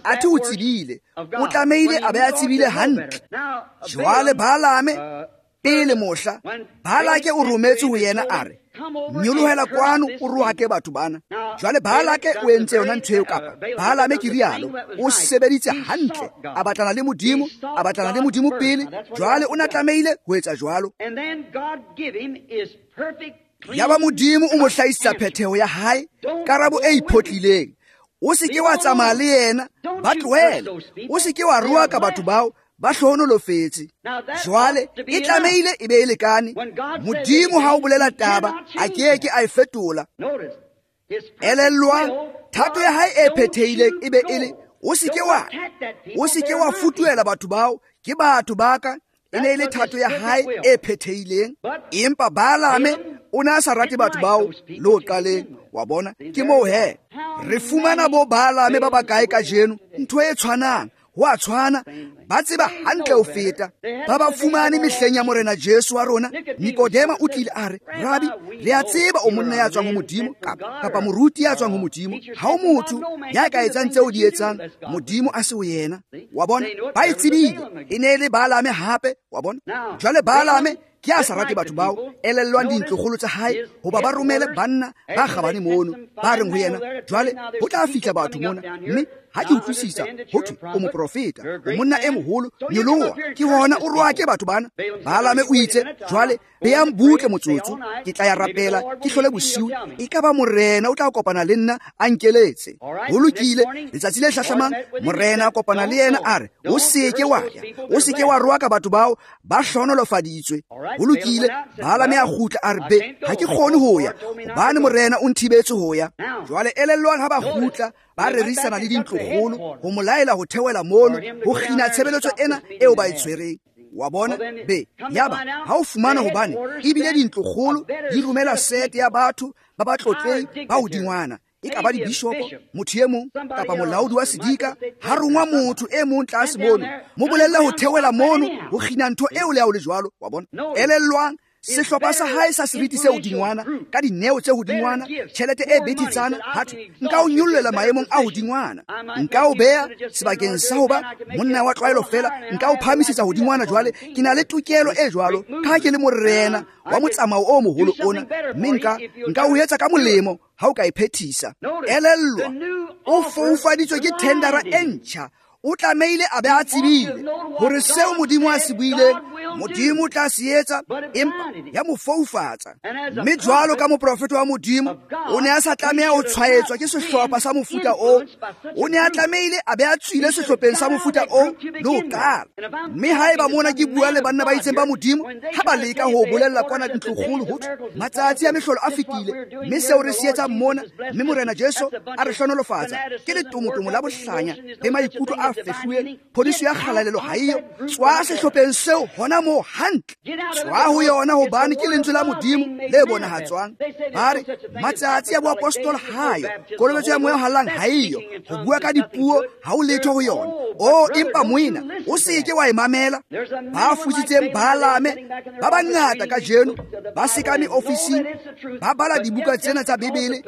athe o tsebile, o tlamehile a be a tsebile hantle. Jwale Balaame Pele mohla Balake o rometse ho yena a re, nyolohela kwano o rohake batho bana. Jwale Balake o entse yona ntho eo, kapa Balame ke rialo, o sebeditse hantle, a batlana le Modimo, a batlana le Modimo pele. Jwale o na tlamehile ho etsa jwalo. Yaba Modimo o mo hlahisa phetheho ya hae, karabo e iphotlileng. O se ke wa tsamaya le yena, ba tlohele. O se ke wa rohaka batho bao, ba hlohonolofetse. Jwale e tlamehile e be e lekane. Modimo ha o bolela taba, a ke ke a e fetola. Elellwang, thato ya hae e phethehileng e be e le, o se ke wa, o se ke wa futuhela batho bao, ke batho ba ka. E ne e le thato ya hae e phethehileng. Empa Balame o ne a sa rate batho bao le ho qaleng. Wa bona, ke moo he re fumana bo Balame ba bakae kajeno, ntho e tshwanang, ho a tshwana, ba tseba hantle ho feta. Ba ba fumane mehleng ya Morena Jesu wa rona. Nikodema o tlile a re, Rabi, re a tseba o monna ya tswang ho Modimo, kapa, kapa moruti ya tswang ho Modimo. Ha o motho ya ka etsang tseo di etsang, Modimo a se ho yena. Wa bona, ba e tsebile. E ne e le Balame hape, wa bona. Jwale Balame ke a sa rate batho bao, elellwang dintlokgolo tsa hae, hoba ba romele banna ba kgabane mono, ba reng ho yena, jwale ho tla fihla batho mona, mme ha ke utlwisisa ho thwe o moprofeta, o monna e moholo, nyoloha, ke hona o rohake batho bana. Balame o itse, jwale beyang butle motsotso, ke tla ya rapela, ke hlole bosiu, e ka ba Morena o tla kopana le nna a nkeletse. Ho lokile, letsatsi le hlahlamang Morena a kopana le yena a re, o se ke wa ya, o se ke wa rohaka batho bao, ba hlohonolofaditswe. Ho lokile, Balame a kgutla a re, be, ha ke kgone ho ya, hobane Morena o nthibetse ho ya. Jwale elellwang ha ba kgutla, ba rerisana le dintlokgolo ho mo laela ho theohela mono, ho kgina tshebeletso ena eo ba e tshwereng. Wa bona, be, yaba ha o fumana hobane ebile dintlokgolo di romela sete ya batho ba ba tlotleng ba hodingwana, e ka ba dibishopo, motho e mong kapa molaodi wa sedika, ha rongwa motho e mong tlase mono, mo bolelle ho theohela mono ho kgina ntho eo le ha o le jwalo. Wa bona, elellwang sehlopha sa hae sa seriti se hodingwana, ka dineo tse hodingwana, tjhelete e bethetsana, ha thwe nka o nyollela maemong a hodingwana, nka o beha sebakeng sa ho ba monna wa tlwaelo fela, nka o phahamisetsa hodingwana. Jwale ke na le tokelo e jwalo, ka ha ke le morena wa motsamao o moholo ona, mme nka nka o etsa ka molemo ha o ka e phethisa. Elellwa, o foufaditswe ke thendera e ntjha. O tlamehile a be a tsebile hore seo Modimo a se buileng, Modimo o tla se etsa, empa ya mo foufatsa. Mme jwalo ka moprofeta wa Modimo, o ne a sa tlameha ho tshwaetswa ke sehlopha sa mofuta oo. O ne a tlamehile a be a tswile sehlopheng sa mofuta oo le ho qala. Mme haeba mona ke bua le banna ba itseng ba Modimo, ha ba leka ho bolella kwana ntlokgolo ho thwe matsatsi a mehlolo a fetile, mme seo re se etsang mona, mme Morena Jesu a re hlohonolofatsa, ke letomotomo la bohlanya le maikutlo a fehluweng, phodiso ya kgalalelo ha eyo. Tswa sehlopheng seo hona moo hantle, tswa ho yona, hobane ke lentswe la Modimo le bonahatswang. Ba re matsatsi a boapostola ha yo, kolobetso ya moya o hallang ha eyo, ho bua ka dipuo ha o letho ho yona. O empa moena, o se ke wa e mamela. Ba futsitseng Balame ba bangata kajeno, ba sekame ofising, ba bala dibuka tsena tsa Bibele,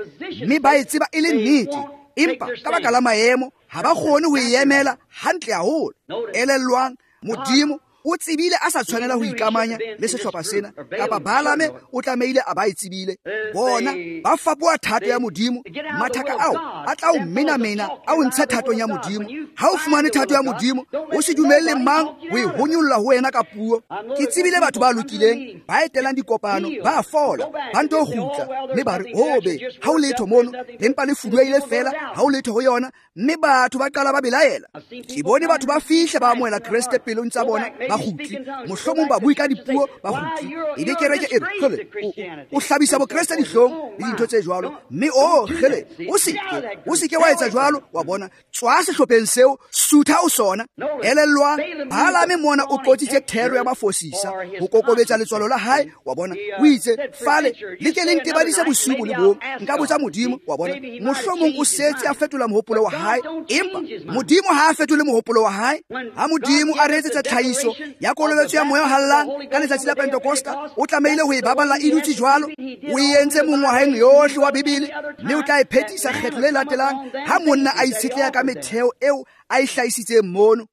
mme ba e tseba e le nnete, empa ka baka la maemo ha ba kgone ho e emela hantle haholo. Elellwang, Modimo o tsebile a sa tshwanela ho ikamanya le sehlopha sena, kapa Balame o tlamehile a ba e tsebile. Bona ba fapoha thato ya Modimo, mathaka ao a tla o menamena a o ntshe thatong ya Modimo. Ha o fumane thato ya Modimo, o se dumelle mang ho e honyolla ho wena ka puo. Ke tsebile batho ba lokileng, ba etelang dikopano, ba fola, ba nto kgutla, mme ba re, o be, ha o letho mono, le mpa le fuduehile fela, ha o letho ho yona, mme batho ba qala ba belaela. Ke bone batho ba fihla ba amohela Kreste pelong tsa bona, ba kgutle, mohlomong ba bue ka dipuo, ba kgutle. Ebe kereke e re, kgele, o hlabisa bokreste dihlong le dintho tse jwalo, mme o kgele, o se ke, o se ke wa etsa jwalo. Wa bona, tswa sehlopheng seo, sutha o sona. Elellwang, Balame mona o qotsitse thero ya mafosisa ho kokobetsa letswalo la hae. Wa bona, o itse, fale le ke le ntebadise bosiu bo le bong, nka botsa Modimo. Wa bona, mohlomong o setse a fetola mohopolo wa hae, empa Modimo ha a fetole mohopolo wa hae. Ha Modimo a re etsetsa tlhahiso ya kolobetso ya moya o hallang ka letsatsi la Pentekosta o tlamehile ho e baballa e dutse jwalo. O e entse mongwaheng yohle wa Bibele, mme o tla e phethisa kgetlo le latelang ha monna a itshetleha ka metheo eo a e hlahisitseng mono.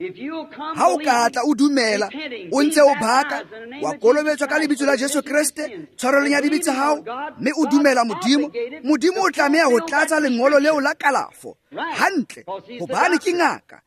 Ha o ka tla o dumela, o ntse o baka, wa kolobetswa ka lebitso la Jesu Kreste tshwarelong ya dibe tsa hao, mme o dumela Modimo, Modimo o tlameha ho tlatsa lengolo leo la kalafo hantle, hobane ke ngaka,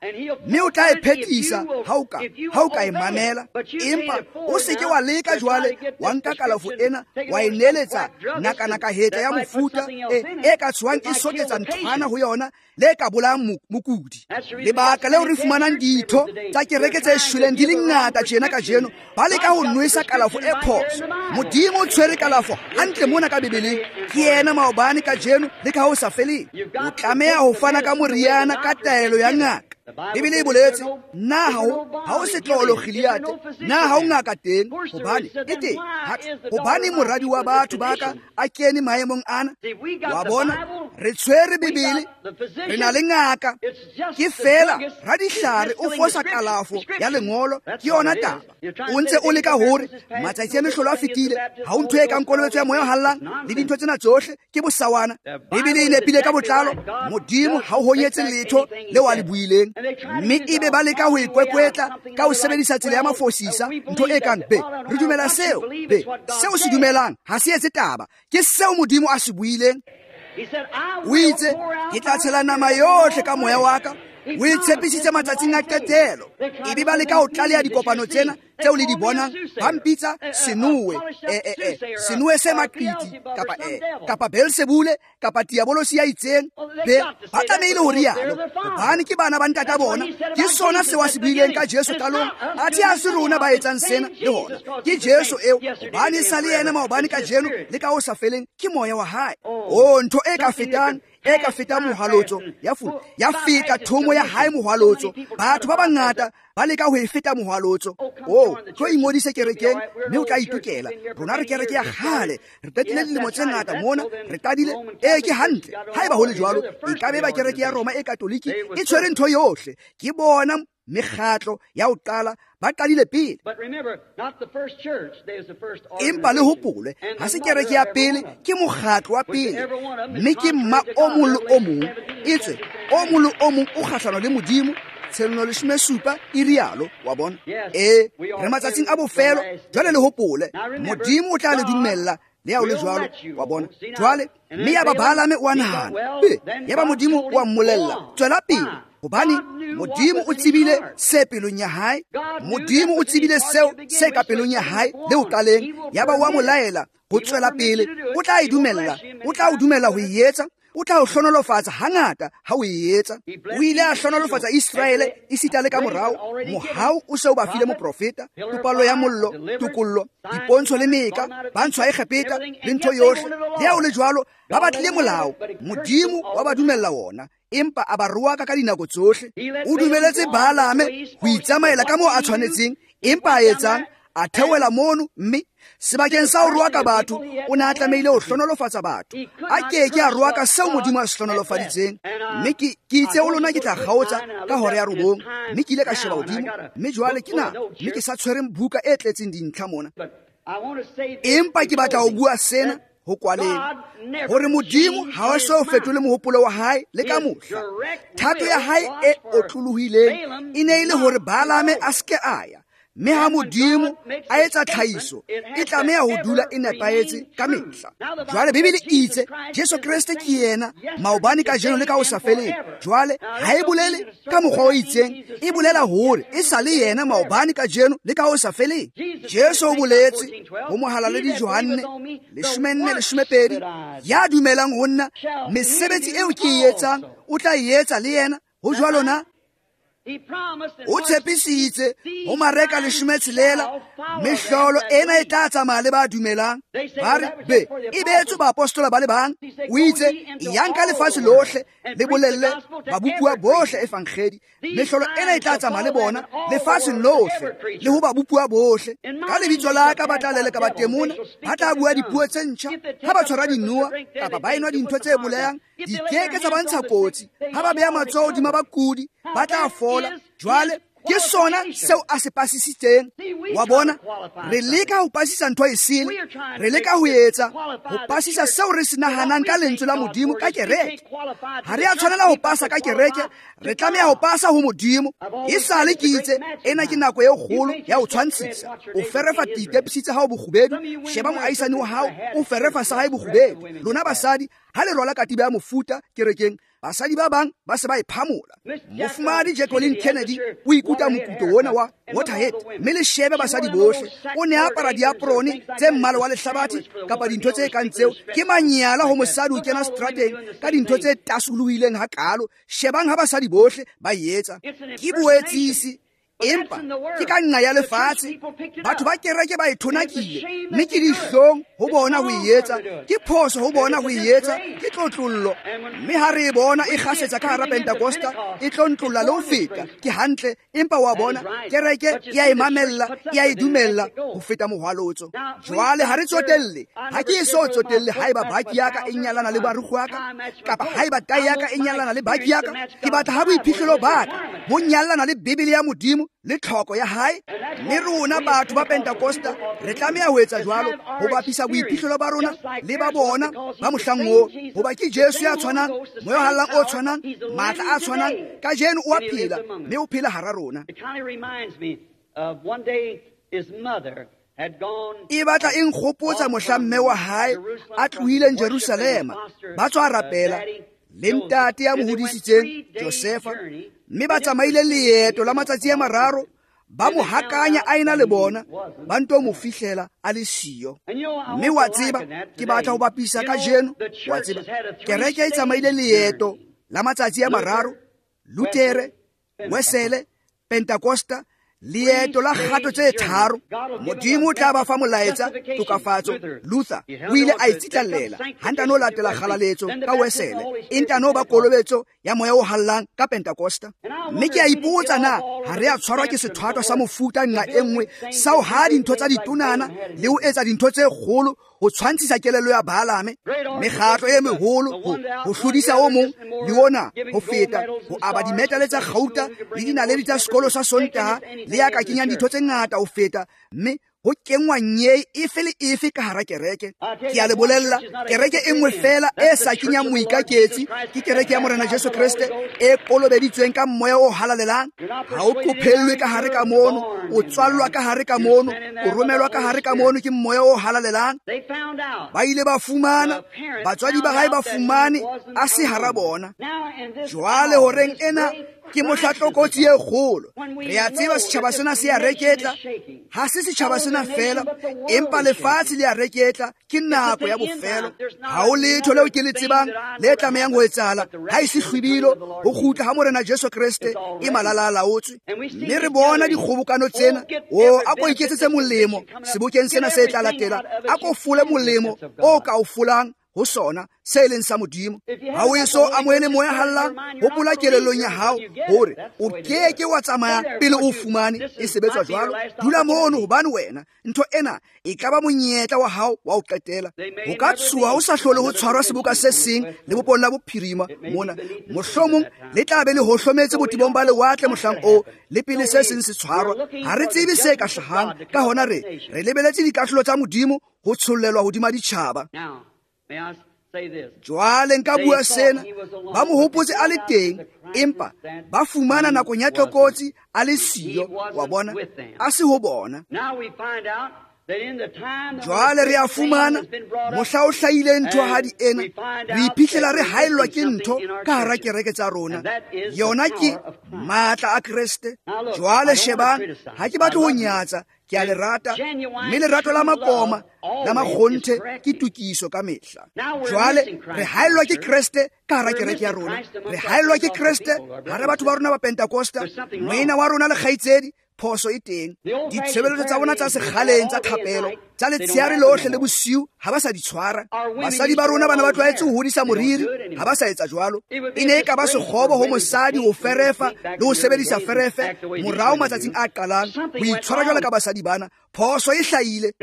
mme o tla e phethisa ha o ka ha o ka e mamela. Empa o se ke wa leka jwale wa nka kalafo ena wa e neeletsa nakanaka hetla ya mofuta e, e ka tshwang e soketsa nthwana ho yona le ka bolayang mokudi. Lebaka leo re fumanang ditho tsa kereke tse shweleng di le ngata tjena kajeno, ba leka ho nwesa kalafo e phoso. Modimo o tshwere kalafo hantle mona ka Bibeleng, ke yena maobane kajeno le ka ho sa feleng. O tlameha ho fana ka moriana ka taelo ya ngaka. Bibele e boletse, na ha o ha o setlolo Gileade, na ha o ngaka teng, hobane e teng, hobane moradi wa batho ba ka a kene maemong ana. Wa bona, re tshwere Bibele, re na le ngaka, ke fela radihlare o fosa kalafo ya lengolo, ke yona taba. O ntse o leka hore matsatsi a mehlolo a fetile, ha o ntho e kang kolobetso ya moya o hallang le dintho tsena tsohle ke bosawana. Bibele e nepile ka botlalo, Modimo ha o honyetse letho leo a le buileng. Mme ebe ba leka ho ikwekwetla ka ho sebedisa tsela ya mafosisa, ntho e kang be re dumela seo, be seo se dumelang ha se etse taba, ke seo Modimo a se buileng. O itse, ke tla tshela nama yohle ka moya wa ka. O e tshepisitse matsatsing a qetelo. Ebe ba leka ho tlaleha dikopano tsena tseo le di bonang, ba mpitsa senowe, eh, eh, eh, senowe se maqiti, kapa eh, kapa Beelzebule, kapa diabolosi ya itseng. Be ba tlamehile ho rialo, hobane ke bana ba ntata bona. Ke sona seo a se buileng ka Jesu qalong, athe ha se rona ba etsang sena le hona. Ke Jesu eo, hobane e sa le yena maobane kajeno le ka ho sa feleng, ke moya wa hae. Oh, ntho e ka fetang e ka feta mohwalotso ya fu ya feta thomo ya hae mohwalotso. Batho ba bangata ba leka ho e feta mohwalotso. Oh, tlo ingodise kerekeng mme o tla itokela. Rona re kereke ya kgale, re qetile dilemo tse ngata mona, re qadile. E ke hantle. Haeba ho le jwalo, e ka be ba kereke ya Roma e Katoliki e tshwere ntho yohle. Ke bona mekgatlo ya ho qala ba qadile pele. Empa le hopole, ha se kereke ya pele, ke mokgatlo wa pele, mme ke mma o mong le o mong, etswe o mong le o mong o kgahlano le Modimo. Tshenolo leshome supa e rialo, wa bona. E re matsatsing a bofelo jwale, le hopole, Modimo o tla le dumella le ya o le jwalo, wa bona. Jwale mme ya ba Balame o a nahana, be ya ba Modimo o a mmolella, tswela pele, hobane Modimo o tsebile se pelong ya hae. Modimo o tsebile seo se ka pelong ya hae le o qaleng. Ya ba wa mo laela ho tswela pele, o tla e dumella, o tla o dumella ho e etsa, o tla o hlonolofatsa hangata ha o e etsa. O ile a hlonolofatsa Israele esita le ka morao, mohau o se o ba file moprofeta, topallo ya mollo, tokollo, dipontsho le meka, ba ntshwa Egepeta le ntho yohle. Le ha o le jwalo, ba batlile molao, Modimo wa ba dumella wona, empa a ba roaka ka dinako tsohle. O dumeletse Balame ho itsamaela ka moo a tshwanetseng, empa a etsang? A theohela mono, mme sebakeng sa ho roaka batho, o ne a tlamehile ho hlonolofatsa batho. A ke ke a roaka seo Modimo a se hlonolofaditseng. Mme ke ke itse ho lona ke tla kgaotsa ka hora ya robong, mme ke ile ka sheba hodimo, mme jwale ke na, mme ke sa tshwereng buka e tletseng dintlha mona. Empa ke batla ho bua sena ho kwaleng, hore Modimo ha o so fetole mohopolo wa hae le ka mohla. Thato ya hae e otlolohileng e ne e le hore Balame a se ke a ya, mme ha Modimo a etsa tlhahiso, e tlameha ho dula e nepahetse ka mehla. Jwale Bibele e itse Jesu Kreste ke yena maobane kajeno le ka ho sa feleng. Jwale ha e bolele ka mokgwa o itseng, e bolela hore e sa le yena maobane kajeno le ka ho sa feleng. Jesu o boletse ho mohalaledi Johanne leshome nne leshome pedi, ya dumelang ho nna, mesebetsi eo ke e etsang o tla e etsa le yena. Ho jwalo na? O tshepisitse ho Mareka leshome tshelela, mehlolo ena e tla tsamaya le ba dumelang. Ba re, be e beetswe baapostola ba le bang. O itse, yang ka lefatshe lohle le bolelle babopuwa bohle evangedi. Mehlolo ena e tla tsamaya le bona lefatsheng lohle le ho babopuwa bohle. Ka lebitso la ka ba tla leleka batemona, ba tla bua dipuo tse ntjha. Ha ba tshwara dinoha kapa ba enwa dintho tse bolayang, di ke ke tsa ba ntsha kotsi. Ha ba beha matsoho hodima bakudi, ba tla fola. Jwale Ke sona seo a se pasisitseng. Wa bona, re leka ho pasisa ntho e sele, re leka ho etsa ho pasisa seo re se nahanang ka lentswe la Modimo ka kereke. Ha re a tshwanela ho pasa ka kereke, re tlameha ho pasa ho Modimo. E sale ke itse ena ke nako e kgolo ya ho tshwantshisa. O ferefa ditepisi tsa hao bokgubedu, sheba moahisani wa hao o ferefa sa hae bokgubedu. Lona basadi ha le rwala katiba ya mofuta kerekeng, basadi ba bang ba se ba e phamola. Mofumahadi Jacqueline Kennedy o ikuta mokuto ona wa Waterhead, mme le shebe basadi bohle. O ne apara diaprone tse mmala wa lehlabathe kapa dintho tse kang tseo. Ke manyala ho mosadi o kena strateng ka dintho tse tasolohileng hakalo. Shebang ha basadi bohle ba etsa. Ke boetsisi, empa ke ka nna ya lefatshe. Batho ba kereke ba e thonakile, mme ke dihlong ho bona ho e etsa, ke phoso ho bona ho e etsa, ke tlotlollo. Mme ha re e bona e kgasetsa ka hara Pentecosta, e tlo ntlolla le ho feta. Ke hantle, empa wa bona kereke e a e mamella, e a e dumella ho feta mohwalotso. Jwale ha re tsotelle, ha ke eso tsotelle haeba baki ya ka e nyalana le barukgu wa ka, kapa haeba tai ya ka e nyalana le baki ya ka. Ke batla ha boiphihlelo ba ka bo nyalana le Bibele ya Modimo le tlhoko ya hae. Mme rona batho ba Pentecosta re tlameha ho etsa jwalo, ho bapisa boiphihlelo ba rona le ba bona ba mohlang oo, hoba ke Jesu ya tshwanang, moya o hallang o tshwanang, matla a tshwanang. Kajeno o a phela, mme o phela hara rona. E batla e nkgopotsa mohla mme wa hae a tlohileng Jerusalema, ba tswa rapela le ntate ya mo hodisitseng Josefa, mme ba tsamaile leeto la matsatsi a mararo, ba mo hakanya a ena le bona, ba nto mo fihlela a le siyo. Mme wa tseba, ke batla ho bapisa kajeno, wa tseba, kereke e tsamaile leeto la matsatsi a mararo, Lutere, Wesele, Pentecosta, leeto la kgato tse tharo. Modimo o tla ba fa molaetsa tokafatso. Luther o ile a itsitlallela, ha ntano latela kgalaletso ka Wesele, e ntano ba kolobetso ya moya o hallang ka Pentecosta. Mme ke a ipotsa na ha re a tshwarwa ke sethwathwa sa mofuta nqa e nngwe sa ho ha dintho tsa ditonana le ho etsa dintho tse kgolo ho tshwantshisa kelello ya Baalame, mekgatlo e meholo ho ho hlodisa o mong le ona ho feta, ho aba dimetale tsa kgauta le dinaledi tsa sekolo sa Sontaha le ya ka kenyang ditho tse ngata ho feta, mme ho kenngwa nyei efe le efe ka hara kereke. Ke a le bolella, kereke e nngwe fela e sa kenyang moikaketsi ke kereke ya Morena Jesu Kreste e kolobeditsweng ka moya o halalelang. Ha o qophellwe ka hare ka mono, o tswallwa ka hare ka mono, o romelwa ka hare ka mono ke moya o halalelang. Ba ile ba fumana, batswadi ba hae ba fumane a se hara bona. Jwale horeng ena ke mohla tlokotsi e kgolo. Re a tseba setjhaba sena se a reketla, ha se setjhaba sena fela, empa lefatshe le a reketla. Ke nako ya bofelo. Ha ho letho leo ke le tsebang le tlamehang ho etsahala ha e se hlwibilo ho kgutla ha Morena Jesu Kreste e malala a laotswe. Mme re bona dikgobokano tsena. O a ko iketsetse molemo sebokeng sena se tla latela, a ko fole molemo o ka o folang ho sona se leng sa Modimo. Ha o eso amohele moya hallang, hopola kelellong ya hao hore o keke wa tsamaya pele o fumane e sebetswa jwalo. Dula mono, hobane wena ntho ena e ka ba monyetla wa hao wa ho qetela. Ho ka tshoha o sa hlole ho tshwarwa seboka se seng lebopong la bophirima mona, mohlomong le tla be le hohlometse botebong ba lewatle mohlang oo, le pele se seng se tshwarwa. Ha re tsebe se ka hlahang, ka hona re re lebeletse dikahlolo tsa Modimo ho tshollelwa hodima ditjhaba. Jwale nka bua sena, ba mo hopotse a le teng, empa ba fumana nakong ya tlokotsi a le siyo. Wa bona, a se ho bona. Jwale re a fumana mohla o hlahile nthohadi ena, re iphihlela re haellwa ke ntho ka hara kereke tsa rona. Yona ke matla a Kreste. Jwale shebang, ha ke batle ho nyatsa, ke a le rata, mme lerato la makoma la makgonthe ke tokiso ka mehla. Jwale re haellwa ke Kreste ka hara kereke ya rona, re haellwa ke Kreste hara batho ba rona ba Pentecosta, moena wa rona le kgaitsedi. Phoso e teng. Ditshebeletso tsa bona tsa sekgaleng tsa thapelo tsa letsheare lohle le bosiu ha ba sa di tshwara. Basadi ba rona bana ba tlwaetse ho hodisa moriri, ha ba sa etsa jwalo. E ne e ka ba sekgobo ho mosadi ho ferefa le ho sebedisa ferefe morao matsatsing a qalang ho itshwara jwalo ka basadi bana. Phoso e hlahile.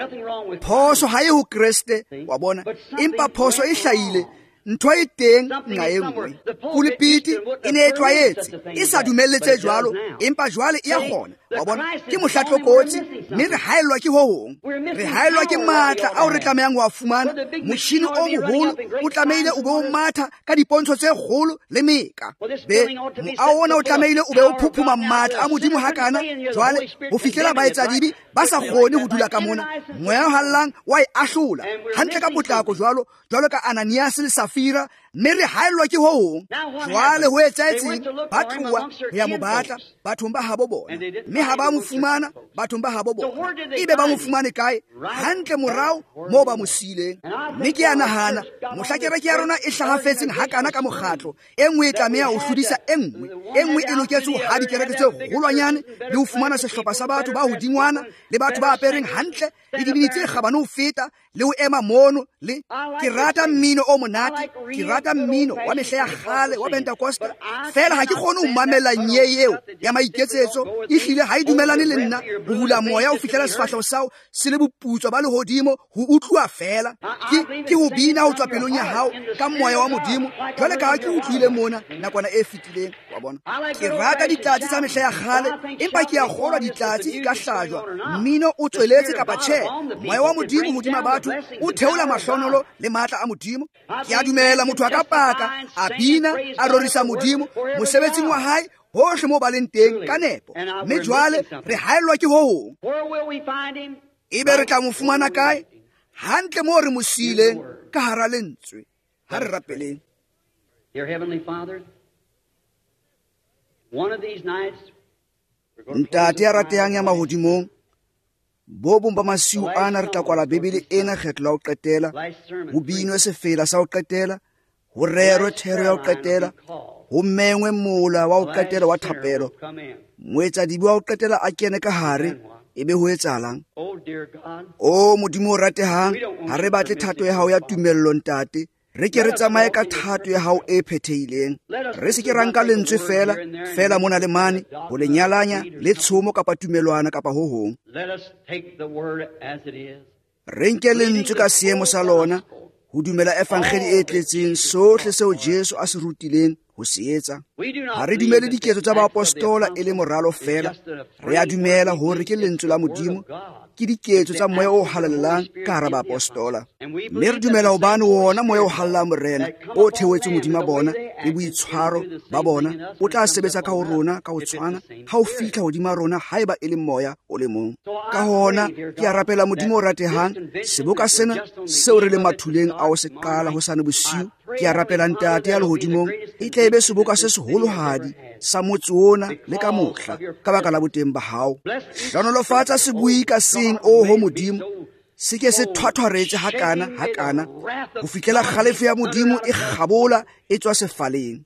Phoso ha e ho Kreste, wa bona, empa phoso e hlahile. Ntho e teng nqa e nngwe. Pulpiti e ne e tlwaetse e sa dumelle tse jwalo, empa jwale e a kgona. Wa bona, ke mohla tlokotsi, mme re haellwa ke ho hong. Re haellwa ke matla ao re tlamehang ho a fumana. Motjhini o moholo o tlamehile o be o matha ka dipontsho tse kgolo le meka. Be moaho ona o tlamehile o be o phuphuma matla a Modimo hakana jwale ho fihlela baetsadibe ba sa kgone ho dula ka mona. Moya o hallang wa e ahlola hantle ka potlako jwalo jwalo ka Ananias le Safira, mme re haellwa ke ho hong. Jwale ho etsahetseng? Ba tloha ho ya mo batla bathong ba habo bona, mme ha ba mo fumana bathong ba habo bona. Ebe ba mo fumane kae? Hantle morao moo ba mo siileng. Mme ke a nahana mohla kereke ya rona e hlahafetseng hakana ka mokgatlo, e nngwe e tlameha ho hlodisa e nngwe, e nngwe e loketse ho ha dikereke tse kgolwanyane le ho fumana sehlopha sa batho ba hodingwana le batho ba apereng hantle le dibini tse kgabane ho feta le ho ema mono. Le ke rata mmino o monate, ke rata mmino wa mehla ya kgale wa Pentecosta, fela ha ke kgone ho mamela nye eo ya maiketsetso. Ehlile ha e dumelane le nna ho hula moya ho fihlela sefahleho sao se le boputswa ba lehodimo ho utlwa fela. Ke ke ho bina ho tswa pelong ya hao ka moya wa Modimo, jwale ka ha ke utlwile mona nakwana e fetileng. Wa bona, ke rata ditlatse tsa mehla ya kgale, empa ke a kgolwa ditlatse di ka hlajwa mmino o tsweletse kapa tjhe. Moya wa Modimo hodima batho o theola mahlonolo le matla a Modimo. Ke a dumela motho a ka paka, a bina, a rorisa Modimo mosebetsing wa hae hohle moo ba leng teng ka nepo. Mme jwale re haellwa ke ho hong. Ebe re tla mo fumana kae? Hantle moo re mo siileng, ka hara lentswe. Ha re rapeleng. Ntate ya ratehang ya mahodimong, bo bong ba masiu ana re tla kwala Bibele ena kgetlo la ho qetela, ho binwe sefela sa ho qetela, ho rerwe thero ya ho qetela, ho mengwe mola wa ho qetela wa thapelo, moetsadibe wa ho qetela a kene ka hare, ebe ho etsahalang? O Modimo o ratehang, ha re batle thato ya hao ya tumello ntate. Re ke re tsamaye ka thato ya hao e phethehileng. Re se ke ra nka lentswe fela fela mona le mane ho le nyalanya le tshomo kapa tumelwana kapa ho hong. Re nke lentswe ka seemo sa lona, ho dumela evangeli e tletseng, sohle seo Jesu a se rutileng ho se etsa. Ha re dumele diketso tsa baapostola e le moralo fela, re a dumela hore ke lentswe la Modimo, ke diketso tsa moya o halalelang ka hara baapostola. Mme re dumela hobane wona moya o halalelang Morena o theohetseng hodima bona le boitshwaro ba bona o tla sebetsa ka ho rona ka ho tshwana ha o fihla hodima rona haeba e le moya o le mong. Ka hona ke a rapela Modimo o ratehang, seboka sena seo re le mathuleng a ho se qala hosane bosiu, ke a rapela Ntate ya lehodimong, e tle e be seboka se seholohadi sa motse ona le ka mohla ka baka la boteng ba hao. Hlohonolofatsa sebui ka seng, oho Modimo, se ke se thwathwaretse hakana hakana ho fihlela kgalefo ya Modimo e kgabola e tswa sefaleng.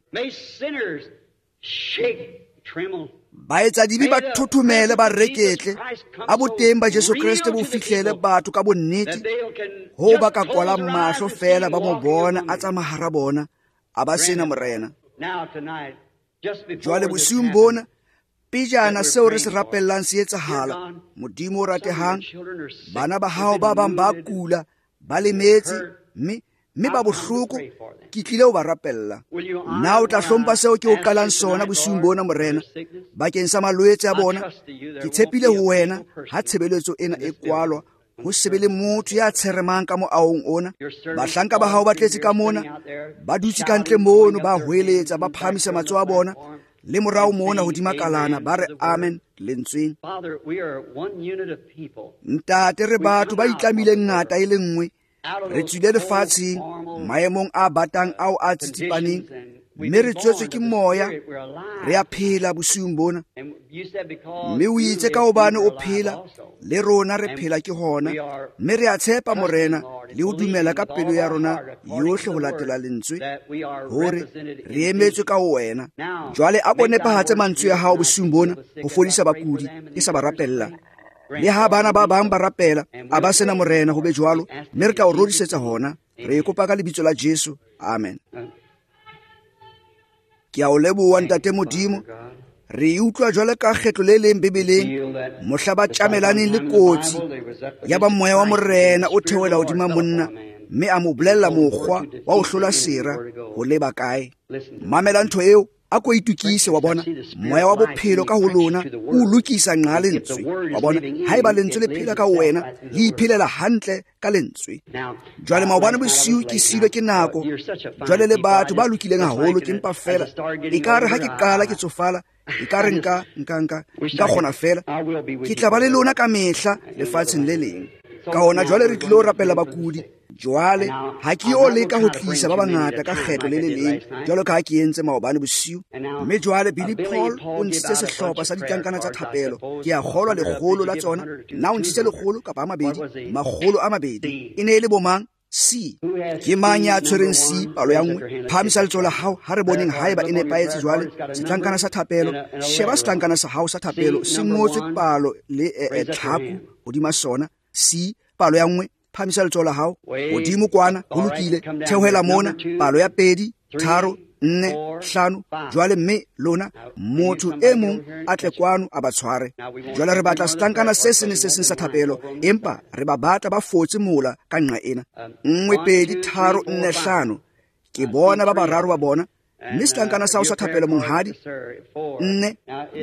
Baetsadibe ba thothomele ba reketle, a boteng ba Jesu Kreste bo fihlele batho ka bonnete, ho ba ka kwalang mahlo fela ba mo bona a tsamaya hara bona, a ba sena Morena. Jwale bosiung bona, pejana seo re se rapellang se etsahala, Modimo o ratehang, bana ba hao ba bang ba kula, ba lemetse, mme mme ba bohloko, ke tlile ho ba rapella. Na o tla hlompha seo ke o qalang sona bosiung bona Morena, bakeng sa malwetse a bona? Ke tshepile ho wena ha tshebeletso ena e kwalwa, ho se be le motho ya tsheremang ka moahong ona. Bahlanka ba hao ba tletse ka mona, ba dutse ka ntle mono, ba hweletsa, ba phahamisa matsoho a bona le morao mona hodima kalana, ba re amen lentsweng. Ntate, re batho ba itlamileng ngata e le nngwe, re tswile lefatsheng maemong a batang ao a tsitsipaneng, mme re tswetswe ke moya, re a phela bosiung bona. Mme o itse ka hobane o phela, le rona re phela ke hona, mme re a tshepa Morena le ho dumela ka pelo ya rona yohle ho latela lentswe, hore re emetswe ka ho wena. Jwale a ko nepahatse mantswe a hao bosiung bona ho fodisa bakudi ke sa ba rapella. Le ha bana ba bang ba rapela, a ba sena Morena ho be jwalo, mme re tla o rorisetsa hona. Re e kopa ka lebitso la Jesu. Amen. Ke a o leboha Ntate Modimo. Re utlwa jwale ka kgetlo le leng Bibeleng, mohla ba tjamelaneng le kotsi, ya ba moya wa Morena o theohela hodima monna, Mme a mo bolella mokgwa wa ho hlola sera ho leba kae. Mamela ntho eo, a ko itukise wa bona. Moya wa bophelo ka ho lona o lokisa nqa lentswe wa bona. Haeba lentswe le phela ka wena, le iphelela hantle ka lentswe. Jwale maobane bosiu ke silwe ke nako. Jwale le batho ba lokileng haholo, ke mpa fela ekare ha ke qala ke tsofala, ekare nka nka nka nka kgona fela. Ke tla ba le lona ka mehla lefatsheng le leng. Ka hona jwale re tlilo rapela bakudi. Jwale ha ke yo leka ho tlisa ba bangata ka kgetlo le le leng jwalo ka ha ke entse maobane bosiu. Mme jwale Billy Paul o ntshitse sehlopha sa ditlankana tsa thapelo. Ke a kgolwa lekgolo la tsona. Na o ntshitse lekgolo kapa a mabedi? Makgolo a mabedi. E ne e le bo mang? C. Ke mang ya tshwereng C palo ya nngwe? Phahamisa letsoho la hao ha re boneng haeba e nepahetse. Jwale setlankana sa thapelo, sheba setlankana sa hao sa thapelo se ngotswe palo le tlhaku hodima sona. C palo ya nngwe, phahamisa letsoho la hao hodimo kwana, ho lokile. Theohela mona, palo ya pedi, tharo, nne, hlano. Jwale mme lona motho e mong a tle kwano a ba tshware. Jwale re batla setlankana se seng le se seng sa thapelo, empa re ba batla ba fotse mola ka nqa ena. Nngwe, pedi, tharo, nne, hlano. Ke bona ba bararo ba bona. Mme setlankana sa hao sa thapelo monghadi, nne.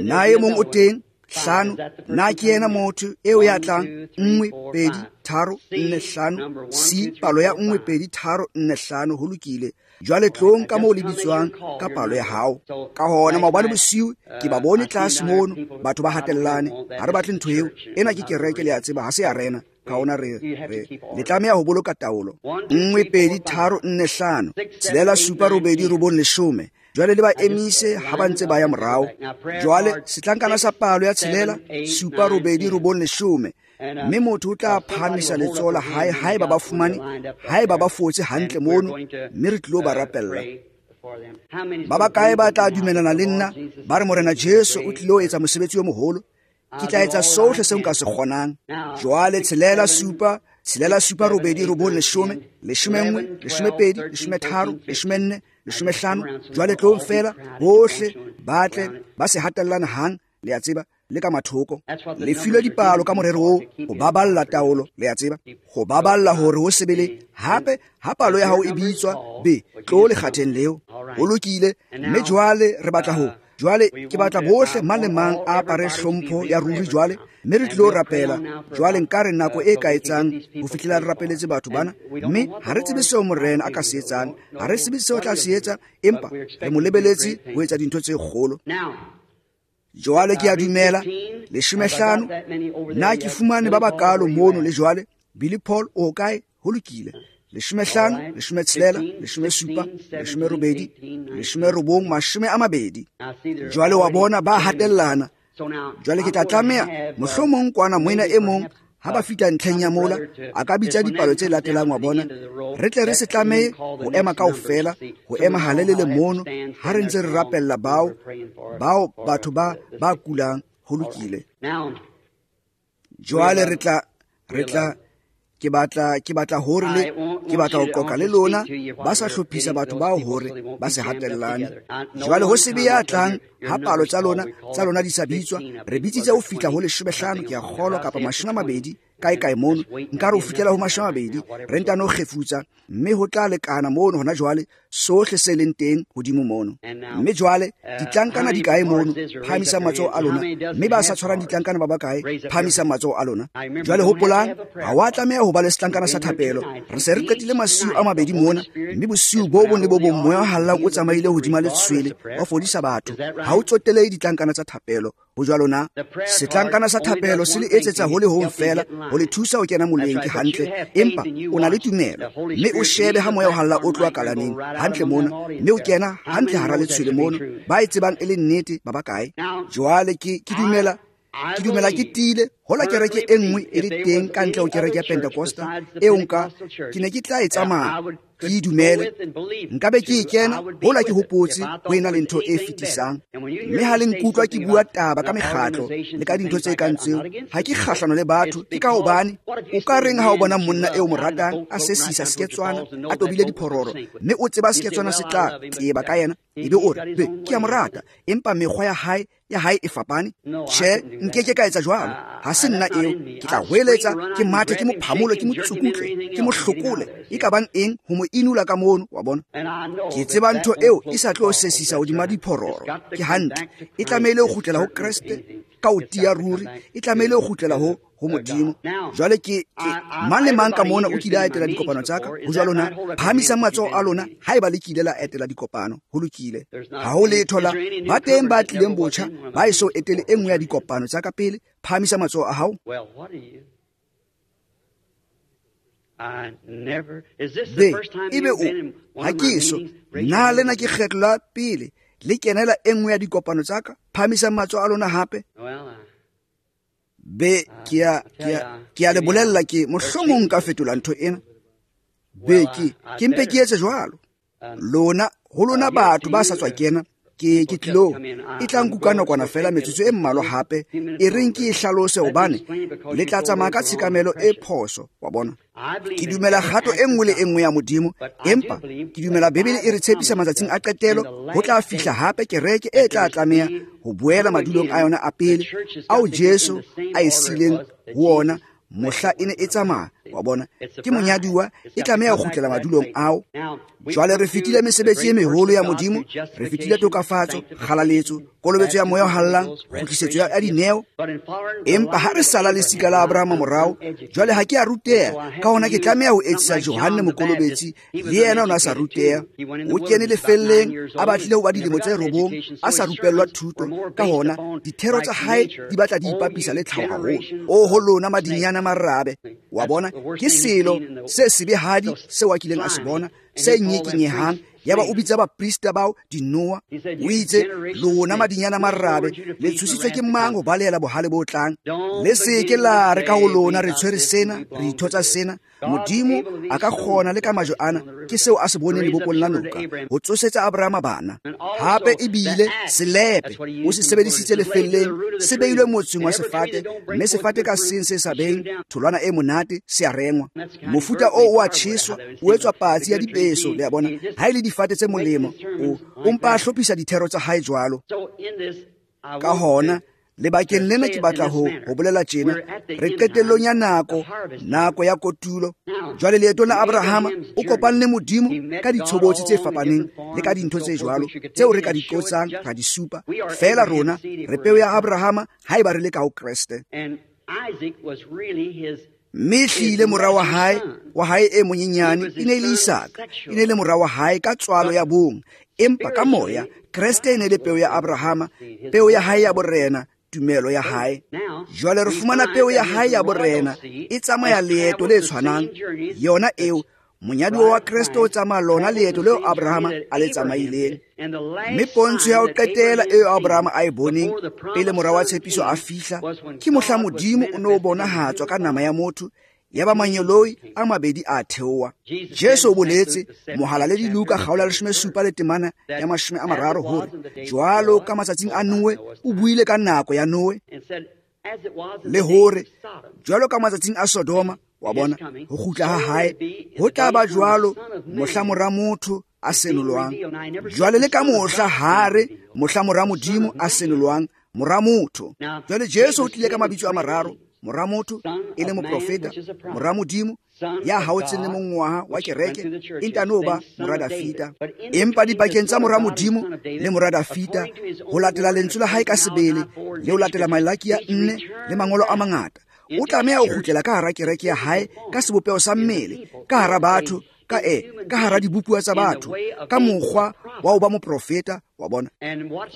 Na e mong o teng? Hlano. Na ke yena motho eo ya tlang? Nngwe, pedi, tharo, nne, hlano. C palo ya nngwe, pedi, tharo, nne, hlano. Ho lokile. Jwale tlong ka moo le bitswang ka palo ya hao. Ka hona maobane bosiu ke ba bone tlase mono batho ba hatellane. Ha re batle ntho eo. Ena ke kereke, le a tseba, ha se arena. Ka hona re re le tlameha ho boloka taolo. Nngwe, pedi, tharo, nne, hlano, tshelela, supa, robedi, robong, leshome. Jwale le ba emise ha ba ntse ba ya morao. Jwale setlankana sa palo ya tshelela, supa, robedi, robong, leshome. Mme motho o tla phahamisa letsoho la hae haeba ba fumane, haeba ba fotse hantle mono, mme re tlilo ba rapella. Ba bakae ba tla dumelana le nna ba re Morena Jesu o tlilo etsa mosebetsi o moholo? Ke tla etsa sohle seo nka se kgonang. Jwale tshelela, supa, tshelela, supa, robedi, robong, leshome, leshome nngwe, leshome pedi, leshome tharo, leshome nne, leshome hlano. Jwale tlong fela bohle ba tle ba se hatellane hang, le a tseba, le ka mathoko. Le filwe dipalo ka morero oo, ho baballa taolo, le a tseba, ho baballa hore ho sebele. Hape ha palo ya hao e bitswa, be tlo lekgatheng leo. Ho lokile. Mme jwale re batla ho jwale ke batla bohle mang le mang a apare hlompho ya ruri jwale, mme re tlilo rapela. Jwale nka re nako e ka etsang ho fihlela re rapeletse batho bana, mme ha re tsebe seo Morena a ka se etsang, ha re tsebe seo a tla se etsa, empa re mo lebeletse ho etsa dintho tse kgolo. Jwale ke a dumela leshome hlano. Na ke fumane ba bakalo mono le jwale? Billy Paul o kae? Ho lokile. Leshome hlano, leshome tshelela, leshome supa, leshome robedi, leshome robong, mashome a mabedi. Jwale wa bona ba hatellana. Jwale ke tla tlameha mohlomong kwana moena e mong ha ba fihla ntlheng ya mola a ka bitsa dipalo tse latelang wa bona. Re tle re se tlamehe ho ema kaofela, ho ema halelele mono ha re ntse re rapella bao bao batho ba ba kulang. Ho lokile. Jwale re tla re tla ke batla ke batla hore le ke batla ho qoqa le lona ba sa hlophisa batho bao hore ba se hatellane. Jwale ho se be ya tlang ha palo tsa lona tsa lona di sa bitswa. Re bitsitse ho fihla ho leshome hlano, ke a kgolwa, kapa mashome a mabedi kae kae mono. Nka re ho fihlela ho mashome a mabedi, re ntano kgefutsa, mme ho tla lekana mono hona jwale sohle se leng teng hodimo mono. Mme jwale ditlankana di kae mono? Phahamisa matsoho a lona. Mme ba sa tshwarang ditlankana ba bakae? Phahamisa matsoho a lona. Jwale hopolang, ha wa tlameha ho ba le setlankana sa thapelo. Re se re qetile masiu a mabedi mona, mme bosiu bo bong le bo bong moya o hallang o tsamaile hodima letshwele wa fodisa batho. Ha o tsotelehe ditlankana tsa thapelo. Ho jwalo na? Setlankana sa thapelo se le etsetsa ho le hong fela, ho le thusa ho kena moleng, ke hantle. Empa o na le tumelo, mme o shebe ha moya o halla o tloha kalaneng hantle mona, mme o kena hantle hara letshwele mono. Ba e tsebang e le nnete ba bakae? Jwale ke ke dumela ke dumela ke tiile hola kereke e nngwe e le teng ka ntle ho kereke ya Pentecosta eo nka ke ne ke tla e tsamaya ke e dumele, nka be ke e kena hola ke hopotse ho ena le ntho e fetisang. Mme ha le nkutlwa ke bua taba ka mekgatlo le ka dintho tse kang tseo, ha ke kgahlano le batho. Ke ka hobane o ka reng ha o bona monna eo mo ratang a sesisa seketswana a tobile diphororo, mme o tseba seketswana se tla teba ka yena, Ebe o re, be, ke a mo rata, empa mekgwa ya hae, ya hae e fapane. Tjhe, nkeke ka etsa jwalo. Ha se nna eo. Ke tla hweletsa, ke mathe, ke mo phamole, ke mo tsukutle, ke mo hlokole. E ka bang eng ho mo inula ka mono, wa bona. Ke tseba ntho eo e sa tlo sesisa hodima diphororo. Ke hantle. E tlamehile ho kgutlela ho Kreste ka ho tiya ruri. E tlamehile ho kgutlela ho ho Modimo. Jwale ke, ke mang le mang ka mona o kile a etela dikopano tsa ka? Ho jwalo na? Phahamisang matsoho a lona haeba le kile la etela dikopano. Ho lokile. Ha ho letho la ba teng ba tlileng botjha ba eso etele e nngwe ya dikopano tsa ka pele. Phahamisa matsoho a hao. Be, ebe o, ha ke eso, na lena ke kgetlo la pele le kenela e nngwe ya dikopano tsa ka? Phahamisang matsoho a lona hape. Be, ke a, ke a, ke a le bolella ke mohlomong nka fetola ntho ena. Be, ke, ke mpe ke etse jwalo. Lona, ho lona batho ba sa tswa kena, ke, ke tlilo, e tla nkuka nakwana fela metsotso e mmalwa hape, e reng ke e hlalose hobane le tla tsamaya ka tshekamelo e phoso, wa bona. Ke dumela kgato e nngwe le e nngwe ya Modimo, empa ke dumela Bibele e re tshepisa matsatsing a qetelo ho tla fihla hape kereke e tla tlameha ho boela madulong a yona a pele ao Jesu a e sileng ho ona mohla e ne e tsamaya, wa bona. Ke monyaduwa, e tlameha ho kgutlela madulong ao. Jwale re fetile mesebetsi e meholo ya Modimo, re fetile tokafatso, kgalaletso, kolobetso ya moya o hallang, kgutlisetso ya dineo. Empa ha re sala lesika la Abrahama morao, jwale ha ke a ruteha, ka hona ke tlameha ho etsisa Johanne Mokolobetsi, le yena o ne a sa ruteha. O kene lefelleng, a batlile ho ba dilemo tse robong, a sa rupellwa thuto, ka hona dithero tsa hae di batla di ipapisa le tlhaho haholo. O ho lona madinyana marabe, wa bona, ke selo se sebehadi seo a kileng a se bona, se nyekenyehang. Yaba o bitsa baprista bao dinoa. O itse, lona madinyana marabe, le tshositswe ke mang ho balehela bohale bo tlang? Le se ke la re ka ho lona re tshwere sena, re itho tsa sena. Modimo a ka kgona le ka majwe ana, ke seo a se boneng lebopong la noka, ho tsosetsa Abrahama bana. Hape ebile selepe o se sebedisitse lefelleng, se beilwe motseng wa sefate, mme sefate ka seng se sa beng tholwana e monate se a rengwa. Mofuta oo o a tjheswa, o etswa patsi ya dipeso, le a bona. Ha e le difate tse molemo, o, o mpa a hlophisa dithero tsa hae jwalo. Ka hona lebakeng lena ke batla ho ho bolela tjena, re qetellong ya nako, nako ya kotulo. Jwale leetong la Abrahama o kopane le Modimo ka ditshobotsi tse fapaneng le ka dintho tse jwalo tseo re ka di qotsang ra di supa. Feela rona re peo ya Abrahama haeba re le ka ho Kreste. Mme hlile mora wa hae, wa hae e monyenyane e ne e le Isaka, e ne e le mora wa hae ka tswalo ya bong, empa ka moya Kreste e ne le peo ya Abrahama, peo ya hae ya borena, tumelo ya hae. Jwale re fumana peo ya hae ya borena e tsamaya leeto le tshwanang, yona eo monyaduwa wa Kreste o tsamaya lona leeto leo Abrahama a le tsamaileng. Mme pontsho ya ho qetela eo Abrahama a e boneng pele mora wa tshepiso a fihla, ke mohla Modimo o ne o bonahatswa ka nama ya motho, yaba mangeloi a mabedi a theoha. Jesu o boletse Mohalaledi Luka kgaolo ya leshome supa le temana ya mashome a mararo hore jwalo ka matsatsing a Noe, o buile ka nako ya Noe, le hore jwalo ka matsatsing a Sodoma, wa bona, ho kgutla ha hae ho tla ba jwalo mohla mora motho a senolwang. Jwale le ka mohla hare mohla mora Modimo a senolwang, mora motho. Jwale Jesu o tlile ka mabitso a mararo, mora motho e le moprofeta, mora Modimo ya haotseng le mongwaha wa kereke, e ntano ba mora Dafita. Empa dipakeng tsa mora Modimo le mora Dafita, ho latela lentswe la hae ka sebele, le ho latela Malaki ya nne le mangolo a mangata, o tlameha ho kgutlela ka hara kereke ya hae ka sebopeho sa mmele, ka hara batho, ka e, ka hara dibopuwa tsa batho, ka mokgwa wa ho ba moprofeta, wa bona.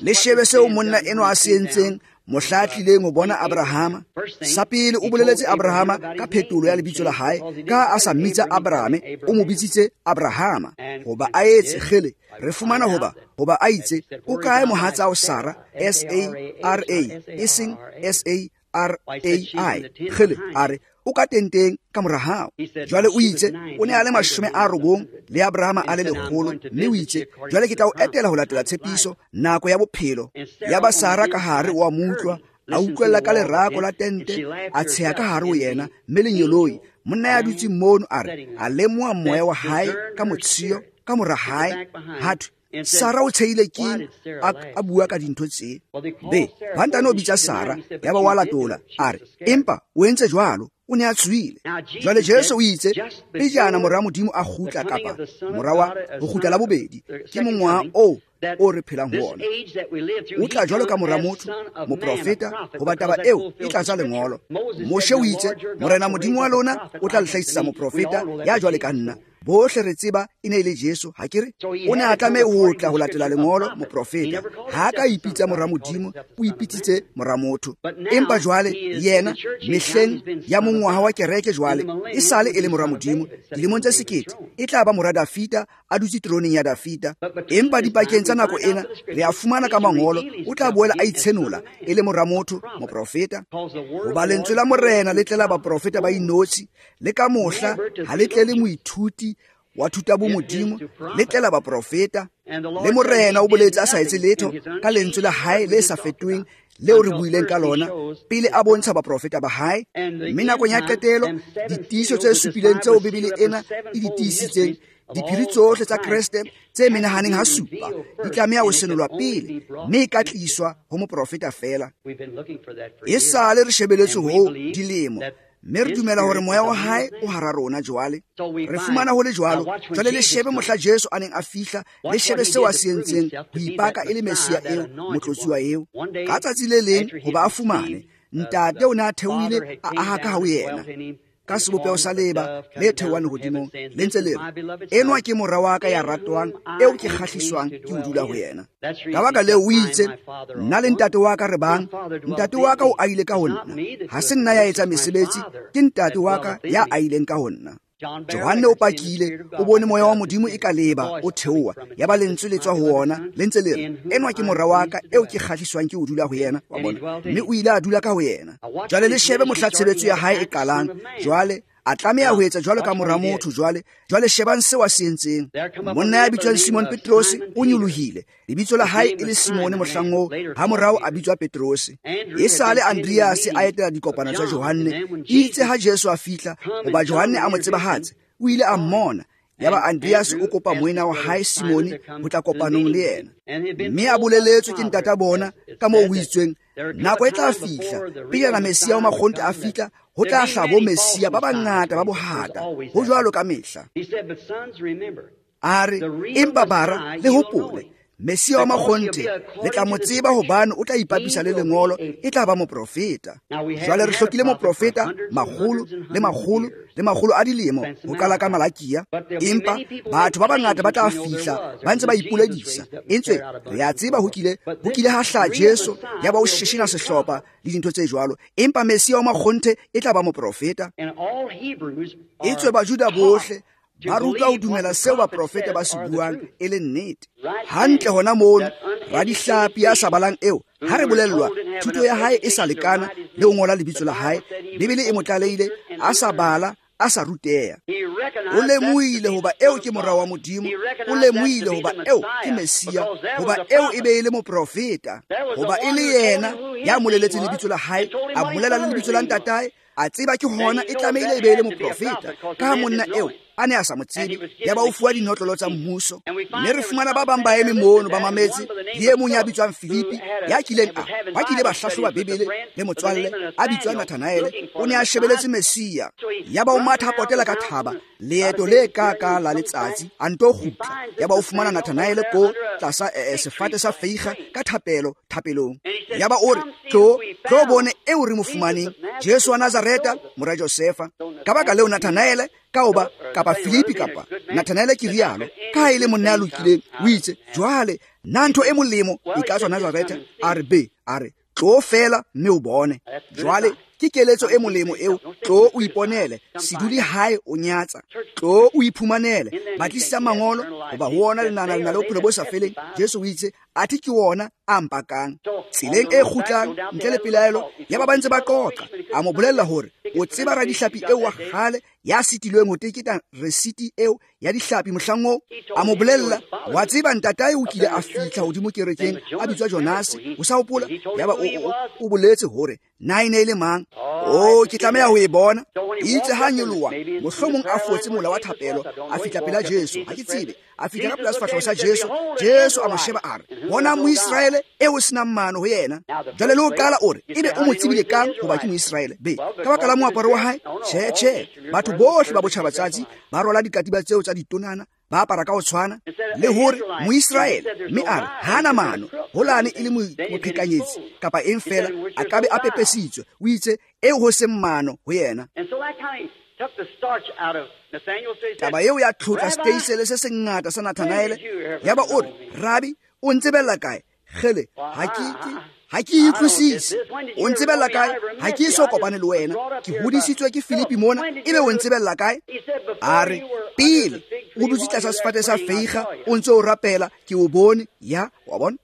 Le shebe seo monna enwa a se entseng mohla a tlileng ho bona Abrahama. Sa pele o boleletse Abrahama ka phetolo ya lebitso la hae, ka a sa mmitsa Abrahame, o mo bitsitse Abrahama. Hoba a etse kgele, re fumana hoba, hoba a itse, o kae mohatsao Sara, S A R A, e seng S A R A I. Kgele, a re, o ka tenteng ka mora hao. Jwale o itse, o ne a le mashome a robong le Abrahama a le lekgolo, mme o itse, jwale ke tla o etela ho latela tshepiso nako ya bophelo. Yaba Sara ka hare o a mo utlwa, a utlwella ka lerako la tente, a tsheha ka hare ho yena, mme lengeloi, monna ya dutseng mono, a re, a lemoha moya wa hae ka motshiyo ka mora hae, ha thwe, Sara o tshehile keng a, a bua ka dintho tse? Be, ba ntano bitsa Sara, yaba wa latola, a re, empa o entse jwalo, o ne a tswile. Jwale Jesu o itse, pejana mora Modimo a kgutla kapa mora wa ho kgutla la bobedi, ke mongwaha oo o re phelang ho ona. O tla jwalo ka mora motho, moprofeta, hoba taba eo e tlatsa lengolo. Moshe o itse, Morena Modimo wa lona o tla le hlahisetsa moprofeta ya jwale ka nna. Bohle re tseba e ne e le Jesu, ha ke re? O ne a tlameha ho tla ho latela lengolo, moprofeta. Ha ka ipitsa mora Modimo, o ipitsitse mora motho. Empa jwale yena mehleng ya mongwaha wa kereke jwale e sale e le mora Modimo, dilemong tse sekete e tla ba mora Dafita, a dutse teroneng ya Dafita. Empa dipakeng tsa nako ena re a fumana ka mangolo o tla boela a itshenola e le mora motho, moprofeta. Hoba lentswe la Morena le tlela baprofeta ba inotshi, le ka mohla ha le tlele moithuti wa thuta bo Modimo, le tlela baprofeta. Le Morena o boletse a sa etse letho ka lentswe la hae le sa fetoheng leo re buileng ka lona pele a bontsha baprofeta ba hae. Mme nakong ya qetelo ditiiso tse supileng tseo Bibele ena e di tiisitseng, diphiri tsohle tsa Kreste tse menahaneng ha supa di tlameha ho senolwa pele, mme e ka tliswa ho moprofeta feela. E sale re shebeletse ho dilemo, mme re dumela hore moya wa hae o hara rona jwale. Re fumana ho le jwalo. Jwale le shebe mohla Jesu a neng a fihla, le shebe seo a se entseng ho ipaka e le Mesia eo, motlotsuwa eo. Ka tsatsi le leng hoba a fumane, Ntate o ne a theohile a aha ka ho yena ka sebopeho sa leeba le theohang lehodimong, le ntse le re, enwa ke mora wa ka ya ratwang, eo ke kgahliswang ke ho dula ho yena. Ka baka leo o itse, nna le ntate wa ka re bang, ntate wa ka o ahile ka ho nna. Ha se nna ya etsa mesebetsi, ke ntate wa ka ya ahileng ka ho nna. Johanne o pakile, o bone moya wa Modimo e ka leba o theoha, yaba lentswe le tswa ho ona le ntse le re, enwa ke mora wa ka eo ke kgahliswang ke ho dula ho yena. Wa bona? Mme o ile a dula ka ho yena. Jwale le shebe mohla tshebetso ya hae e qalang. Jwale a tlameha ho etsa jwalo ka mora motho. Jwale jwale shebang seo a se entseng. Monna ya bitswang Simon Petrose o nyolohile, lebitso la hae e le Simone mohlang oo, ha morao a bitswa Petrose. E sale Andreas a etela dikopano tsa Johanne. Itse ha Jesu a fihla, hoba Johanne a mo tsebahatse, o ile a mmona. Yaba Andreas o kopa moena wa hae Simone ho tla kopanong le yena. Mme a boleletswe ke ntata bona ka moo ho itsweng, nako e tla fihla pejana Mesia wa makgonthe a fihla, ho tla hlaha bo Mesia ba bangata ba bohata. Ho jwalo ka mehla. A re, empa bara, le hopole, Mesia wa makgonthe le tla mo tseba hobane o tla ipapisa le lengolo, e tla ba moprofeta. Jwale re hlokile moprofeta makgolo le makgolo le makgolo a dilemo ho qala ka Malakia. Empa batho ba bangata ba tla fihla ba ntse ba ipoledisa. Entswe re a tseba ho kile ho kile ha hlaha Jesu, ya ba o sheshina sehlopha le dintho tse jwalo. Empa Mesia wa makgonthe e tla ba moprofeta. Etswe Bajuda bohle ba rutwa ho dumela seo baprofeta ba se buang e le nnete. Hantle hona mono, radihlapi ya sa balang eo, ha re bolellwa thuto ya hae e sa lekana le ho ngola lebitso la hae, Bibele e mo tlalehile a sa bala, a sa ruteha. O lemohile hoba eo ke mora wa Modimo, o lemohile hoba eo ke Mesia, hoba eo e be e le moprofeta, hoba e le yena ya moleletseng lebitso la hae, a bolela le lebitso la ntatae, a tseba ke hona e tlamehile e be e le moprofeta. Ka ha monna eo a ne a sa mo tsebe, yaba o fuwa dinotlolo tsa mmuso. Mme re fumana ba bang ba eme mono ba mametse, le e mong ya bitswang Filipi, ya kileng a ba kile ba hlahloba Bibele le motswalle a bitswang Nathanaele, o ne a shebeletse Mesia. Yaba o matha a potela ka thaba leeto le ka ka la letsatsi, a nto kgutla. Yaba o fumana Nathanaele ko tlasa eh, sefate sa feiga ka thapelo thapelong. Yaba o re, tlo tlo bone eo re mo fumaneng, Jesu wa Nazareta, mora Josefa. Ka baka leo Nathanaele ka hoba kapa Filipi kapa Nathanaele ke rialo, ka ha e le monna ya lokileng, o itse, jwale na ntho e molemo e ka tswa Nazareta? A re be, a re tlo fela mme o bone. Jwale ke keletso e molemo eo, tlo o iponele, se dule hae o nyatsa, tlo o iphumanele, batlisisa mangolo, hoba ho ona le nana le na le bophelo bo sa feleng. Jesu o itse Athe ke wona a mpakang. Tseleng e kgutlang ntle le pelaelo ya ba ba ntse ba qoqa, a mo bolella hore o tseba radihlapi eo wa kgale ya sitilweng ho teketa resiti eo ya dihlapi mohlang oo. A mo bolella, wa tseba ntatae o kile a fihla hodimo kerekeng a bitswa Jonase, o sa hopola? Yaba o, o, o boletse hore na e ne e le mang. O, ke tlameha ho e bona. Itse ha nyoloha, mohlomong a fotse mola wa thapelo, a fihla pela Jesu, ha ke tsebe, a fihla ka pela sefahleho sa Jesu. Jesu a mo sheba a re, bona Moisraele eo senang mano ho yena. Jwale le ho qala o re, ebe o mo tsebile kang hoba ke Moisraele? Be, ka baka la moaparo wa hae? Tjhe, tjhe, batho bohle ba botjhabatsatsi ba rwala dikatiba tseo tsa ditonana, ba apara ka ho tshwana, le hore Moisraele, mme a re hana mano, holane e le moqhekanyetsi kapa eng fela, a ka be a pepesitswe. O itse eo ho seng mano ho yena. Taba eo ya tlhotla steisele se sengata sa Nathanaele. Yaba o re, Rabi, o ntsebella kae? Kgele, ha ke ke ha ke utlwisise. O ntsebella kae? Ha ke eso kopane le wena. Ke hodisitswe ke Filipi mona, ebe o ntsebella kae? A re, pele o dutse tlasa sefate sa feiga, o ntse o rapela, ke o bone. Ya, wa bona?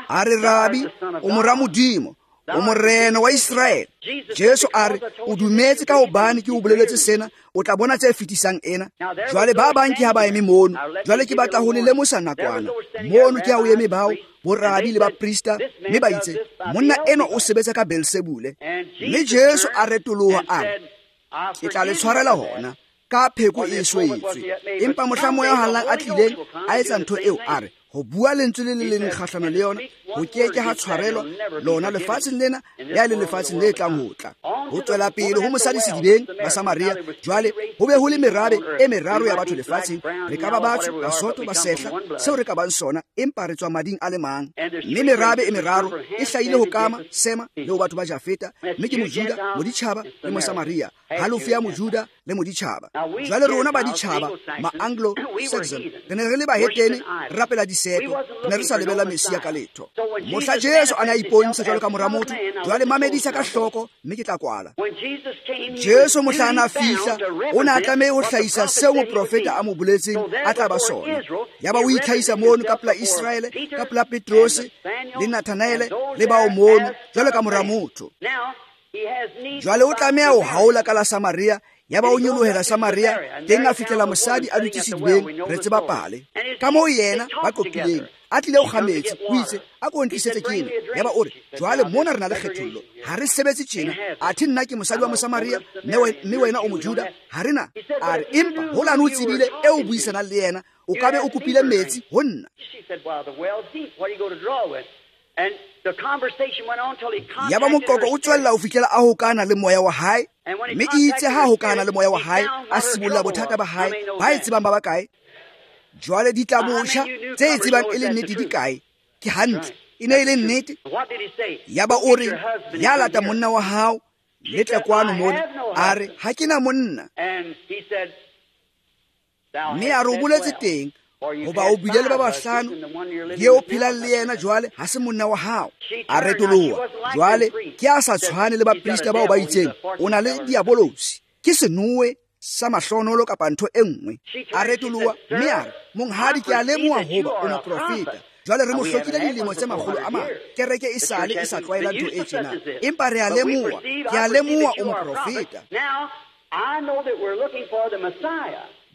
A re, Rabi, o mora Modimo, o morena wa Israele. Jesu a re, o dumetse ka hobane ke o boleletse sena, o tla bona tse fetisang ena. Jwale ba bang ke ha ba eme mono. Jwale ke batla ho le lemosa nakwana. Mono ke ha o eme bao borabi le baprista, mme ba itse, monna eno o sebetsa ka Beelsebule. Mme Jesu a retoloha a re, ke tla le tshwarela hona ka pheko e swetswe. Empa mohla moya o hallang a tlileng a etsa ntho eo, a re, ho bua lentswe le le leng kgahlano le yona, ho ke ke ha tshwarelwa lona lefatsheng lena ya le lefatsheng le tlang ho tla. Ho tswela pele ho mosadi sedibeng ba Samaria. Jwale ho be ho le merabe e meraro ya batho lefatsheng. Re ka ba batsho, Basotho, Basehla, seo re ka bang sona, empa re tswa mading a le mang. Mme merabe e meraro e hlahile ho Kama, Sema le ho batho ba Jafeta, mme ke Mojuda, Moditjhaba le Mosamaria, halofo ya Mojuda le Moditjhaba. Jwale rona ba ditjhaba, ma-Anglo Saxon, re ne re le bahetene, re rapela diseto, re ne re sa lebella Messia ka letho. Mohla Jesu a ne a ipontsha jwalo ka mora motho, jwale mamedisa ka hloko, mme ke tla kwala. Jesu mohla a na fihla, o ne a tlameha ho hlahisa seo moprofeta a mo boletseng a tla ba sona. Yaba o itlhahisa mono ka pela Israele, ka pela Petrose le Nathanaele le bao mono jwalo ka mora motho. Jwale o tlameha ho haola ka la Samaria. Yaba o nyolohela Samaria, teng a fihlela mosadi a dutse sedibeng, re tseba pale. Ka moo yena ba qoqileng, a tlile ho kga metsi, o itse, a ko ntlisetse ke ena. Yaba o re, jwale mona re na le kgethollo, ha re sebetse tjena. Athe nna ke mosadi wa Mosamaria, mme wena o Mojuda, ha re na. A re, empa holane o tsebile eo o buisanang le yena, o ka be o kopile metsi ho nna. Yaba moqoqo o tswella ho fihlela a hokana le moya wa hae, mme itse ha hokana le moya wa hae, a sibolla bothata ba hae, ba e tsebang ba bakae. Jwale di tla botjha tse e tsebang e le nnete di kae? Ke hantle, e ne e le nnete. Yaba o re, ya lata monna wa hao, le tle kwano mona. A re, ha ke na monna. Mme a re o boletse teng, hoba o bile le ba bahlano, le eo phelang le yena jwale ha se monna wa hao. A retoloha. Jwale ke a sa tshwane le baprista bao ba itseng, o na le diabolosi, ke senowe sa mahlonolo kapa ntho e nngwe. A retoloha mme a re, monghadi, ke a lemoha hoba o moprofeta. Jwale re mo hlokile dilemo tse makgolo a mane, kereke e sale e sa tlwaela ntho e tjena, empa re a lemoha, ke a lemoha o moprofeta.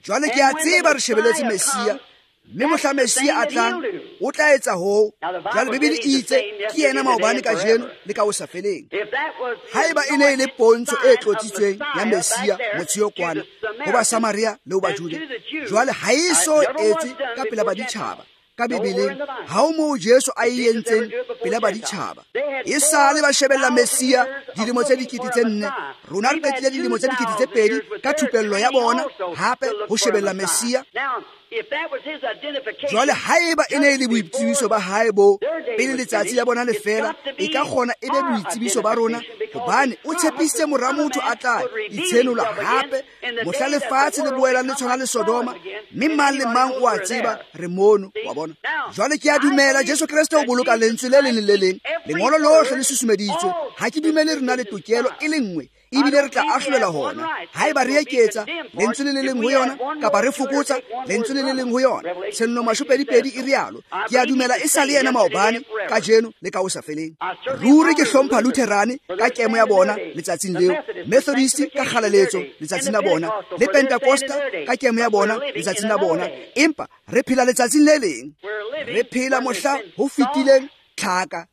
Jwale ke a tseba re shebeletse Messia, mme mohla Messia a tlang, o tla etsa hoo. Jwale Bibele e itse ke yena maobane, kajeno le ka ho sa feleng. Haeba e ne e le pontsho e tlotsitsweng ya Messia motse kwana ho ba Samaria le ho Bajuda, jwale ha e so etswe ka pela baditjhaba. Ka Bibeleng ha o moo Jesu a e entseng pela baditjhaba. E sale ba shebella Messia dilemo tse dikete tse nne, rona re qetile dilemo tse dikete tse pedi ka thupello ya bona hape ho shebella Messia. Jwale haeba e ne e le boitsebiso ba hae bo pele letsatsi la bona le fela, e ka kgona e be boitsebiso ba rona, hobane o tshepisitse mora motho a tla itshenola hape mohla lefatshe le boelang le tshwana le Sodoma, mme mang le mang o a tseba re mono, wa bona. Jwale ke a dumela Jesu Kreste o boloka lentswe le leng le le leng Lengolo lohle le susumeditswe. Ha ke dumele re na le tokelo e le nngwe, ebile re tla ahlolelwa hona. Haeba re eketsa lentswe le le leng ho yona, kapa re fokotsa lentswe le le leng ho yona. Tshenolo mashopedipedi e rialo. Ke a dumela e sa le yena maobane, kajeno le ka ho sa feleng. Ruri ke hlompha Lutherane ka kemo ya bona letsatsing leo, Methodist ka kgalaletso letsatsing la bona, le Pentecosta ka kemo ya bona letsatsing la bona. Empa re phela letsatsing le leng. Re phela mohla ho fetileng tlhaka,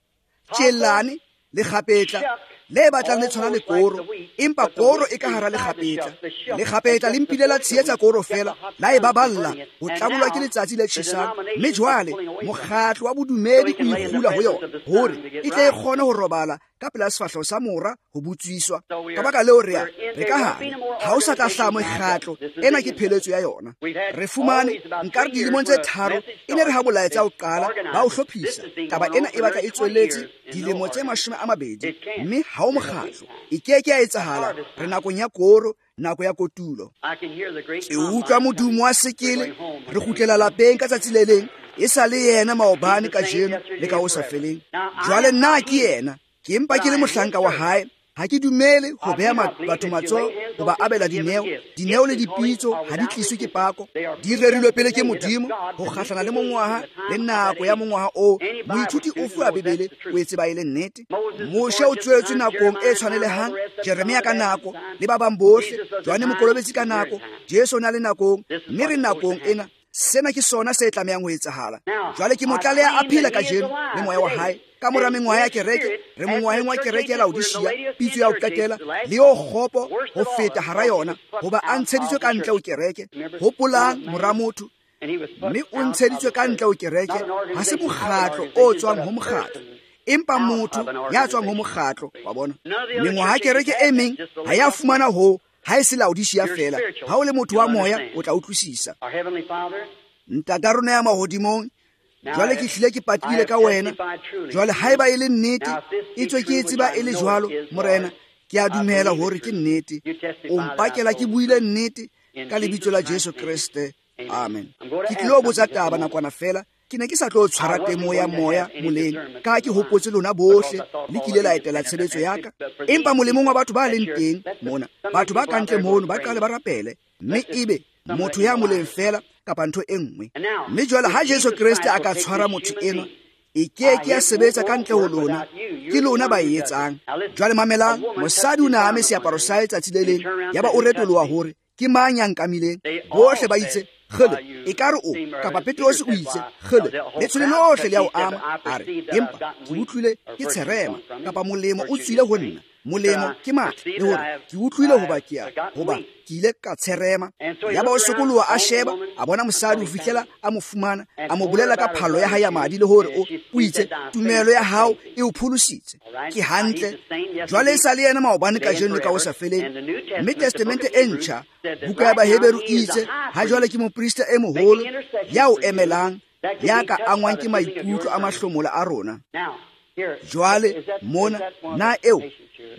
tjellane le kgapetla le batlang le tshwana le koro, empa koro e ka hara lekgapetla. Lekgapetla le mpile la tshehetsa koro fela, la e baballa ho tlabolwa ke letsatsi le tjhesang. Mme jwale mokgatlo wa bodumedi o ikgula ho yona hore e tle e kgone ho robala ka pela sefahleho sa mora ho butswiswa. Ka baka leo re a re ka hare ha o sa tla hlaha mekgatlo ena, ke pheletso ya yona. Re fumane nka re dilemong tse tharo e ne re ha molaetsa o qala ba o hlophisa. Taba ena e batla e tsweletse dilemo tse mashome a mabedi, mme ha o mokgatlo e ke ke ya etsahala. Re nakong ya koro, nako ya kotulo. Ke utlwa modumo wa sekele, re kgutlela lapeng ka tsatsi le leng. E sa le yena maobane, kajeno le ka ho sa feleng. Jwale nna ke yena, ke empa ke le mohlanka wa hae. Ha ke dumele ho beha batho matsoho ho ba abela dineo. Dineo le dipitso ha di tliswe ke pako, di rerilwe pele ke Modimo ho kgahlana le mongwaha le nako ya mongwaha oo. Moithuti ofe wa Bibele o e tseba e le nnete. Moshe o tswetswe nakong e tshwanelehang, Jeremia ka nako, le ba bang bohle, Johanne Mokolobetsi ka nako, Jesu o na le nakong, mme re nakong ena. Sena ke sona se tlamehang ho etsahala. Jwale ke motlaleha a phela kajeno le moya wa hae. Ka mora mengwaha ya kereke, re mongwaheng wa kereke ya Laodicea, pitso ya ho qetela, le yo kgopo ho feta hara yona, hoba a ntsheditswe ka ntle ho kereke. Hopolang mora motho, mme o ntsheditswe ka ntle ho kereke. Ha se mokgatlo o tswang ho mokgatlo, empa motho ya tswang ho mokgatlo wa bona. Mengwaha ya kereke e meng ha ya fumana ho, ha e se Laodicea fela. Ha o le motho wa moya o tla utlwisisa. Ntata rona ya mahodimong, jwale ke hlile ke patile ka wena. Jwale haeba e le nnete, e tswe ke e tseba e le jwalo, Morena, ke a dumela hore ke nnete. O mpakela ke buile nnete ka lebitso la Jesu Kreste. Amen. Ke tlilo botsa taba nakwana fela. Ke ne ke sa tlo tshwara temo ya moya moleng, ka ke hopotse lona bohle le kile la etela tshebetso ya ka. Empa molemong wa batho ba leng teng mona, batho ba kantle mono ba qale ba rapele, mme ebe motho ya moleng fela kapa ntho e nngwe. Mme jwale ha Jesu Kreste a ka tshwara motho enwa, e ke ke ya sebetsa ka ntle ho lona, ke lona ba e etsang. Jwale mamelang, mosadi o ne a ame seaparo sa hae tsatsi le leng, yaba o retoloha hore ke mang ya nkamileng. Bohle ba itse kgele, ekare o kapa Petrose o itse kgele, letshwele lohle le ya o ama. A re, empa ke utlwile ke tsherema, kapa molemo o tswile ho nna. Molemo ke matla, le hore ke utlwile hoba ke a hoba ke ile ka tsherema. Yaba o sokoloha a sheba, a bona mosadi ho fihlela a mo fumana, a mo bolela ka phallo ya hae ya madi, le hore o o itse tumelo ya hao e o pholositse. Ke hantle. Jwale e sa le yena maobane, kajeno le ka ho sa feleng. Mme Testamente e ntjha, buka ya Baheberu e itse ha jwale ke moprista e moholo ya o emelang, ya ka angwang ke maikutlo a mahlomola a rona. Jwale mona, na eo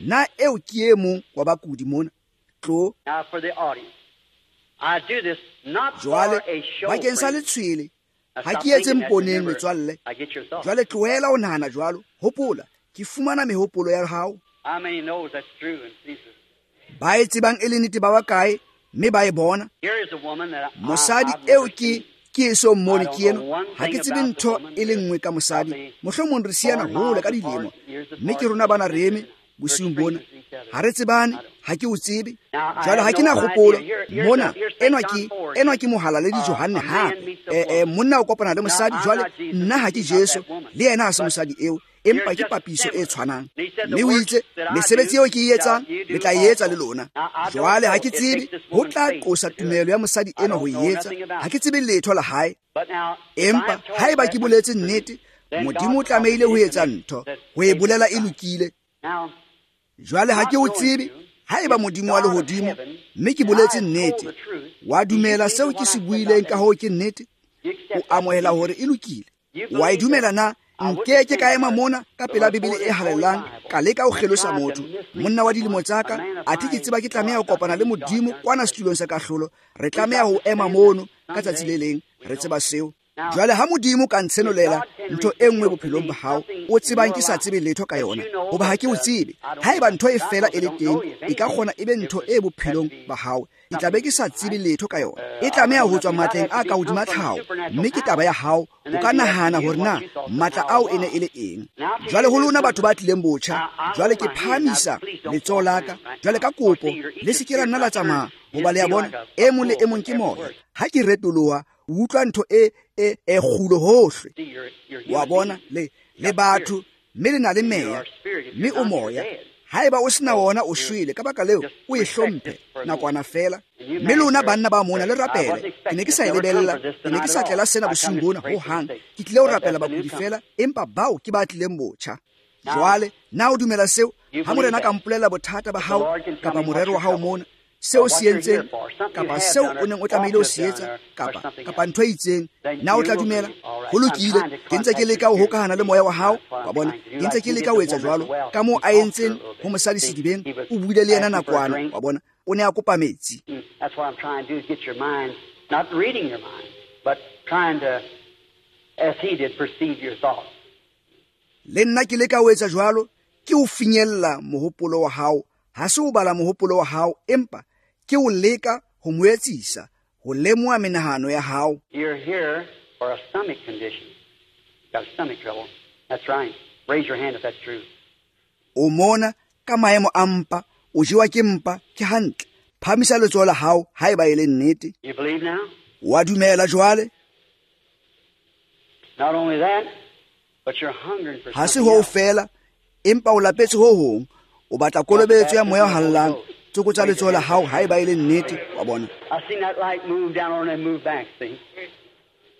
na eo ke e mong wa bakudi mona? Tlo. Jwale bakeng sa letshwele, ha ke etse mponeng metswalle. Jwale tlohela ho nahana jwalo. Hopola, ke fumana mehopolo ya hao. Ba e tsebang e le nnete ba bakae, mme ba e bona. Mosadi eo ke ke eso mmone ke eno. Ha ke tsebe ntho e le nngwe ka mosadi. Mohlomong re siana hole ka dilemo, mme ke rona bana re eme bosiung bona. Ha re tsebane, ha ke o tsebe. Jwale ha ke na kgopolo mona. Enwa ke enwa ke mohalaledi Johanne hape. Eh, eh, monna o kopana le mosadi. Jwale nna ha ke Jesu, le yena ha se mosadi eo, empa ke papiso e tshwanang. Mme o itse mesebetsi eo ke e etsang le tla e etsa le lona. Jwale ha ke tsebe ho tla qosa tumelo ya mosadi enwa ho e etsa. Ha ke tsebe letho la hae, empa haeba ke boletse nnete, Modimo o tlamehile ho etsa ntho, ho e bolela e lokile. Jwale ha ke o tsebe, haeba Modimo wa lehodimo, mme ke boletse nnete, wa dumela seo ke se buileng ka hoo ke nnete, o amohela hore e lokile, wa e dumela na? Nke ke ka ema mona ka pela Bibele e halalelang, ka leka ho kgelosa motho, monna wa dilemo tsa ka, athe ke tseba ke tlameha ho kopana le Modimo kwana setulong sa kahlolo. Re tlameha ho ema mono ka tsatsi le leng, re tseba seo. Jwale ha Modimo ka ntshenolela ntho e nngwe bophelong ba hao o tsebang ke sa tsebe letho ka yona, hoba ha ke o tsebe. Haeba ntho e fela e le teng, e ka kgona e be ntho e bophelong ba hao, ke tla be ke sa tsebe letho ka yona. E tlameha ho tswa matleng a ka hodima tlhaho, mme ke taba ya hao. O ka nahana hore na matla ao e ne e le eng. Jwale ho lona batho ba tlileng botjha, jwale ke phahamisa letsoho la ka. Jwale ka kopo le se ke la nna la tsamaya, hoba le a bona e mong le e mong ke moya. Ha ke retoloha, o utlwa ntho e e e kgulo hohle. Wa bona, le le batho, mme le na le meya, mme o moya. Haeba o sena wona, o shwele. Ka baka leo o e hlomphe nakwana feela. Mme lona banna ba mona le rapele. Ke ne ke sa e lebella, ke ne ke sa tlela sena bosiung bona ho hang. Ke tlile ho rapela bakudi feela, empa bao ke ba tlileng botjha. Jwale na o dumela seo? Ha Morena ka mpolella bothata ba hao kapa morero wa hao mona, seo se entseng kapa seo o neng o tlamehile ho se etsa kapa kapa ntho e itseng, na o tla dumela? Ho lokile. Ke ntse ke leka ho hokahana le moya wa hao, wa bona. Ke ntse ke leka ho etsa jwalo ka moo a entseng ho mosadi sedibeng. O buile le yena nakwana, wa bona. O ne a kopa metsi. That's what I'm trying to do, is get your mind, not reading your mind, but trying to, as he did, perceive your thoughts. Le nna ke leka ho etsa jwalo, ke o finyella mohopolo wa hao. Ha se o bala mohopolo wa hao, empa ke o leka ho mo etsisa, ho lemoha menahano ya hao. You're here for a stomach condition. You've got a stomach trouble. That's right. Raise your hand if that's true. O mona ka maemo a mpa, o jewa ke mpa, ke hantle. Phamisa letsoho la hao haeba e le nnete. You believe now? Wa dumela jwale? Not only that, but you're hungering for Ha se something ho else. fela, empa o lapetse ho hong. O batla kolobetso ya moya o hallang. Tsokotsa letsoho la hao haeba e le nnete, wa bona. I've seen that light move down on and move back, see?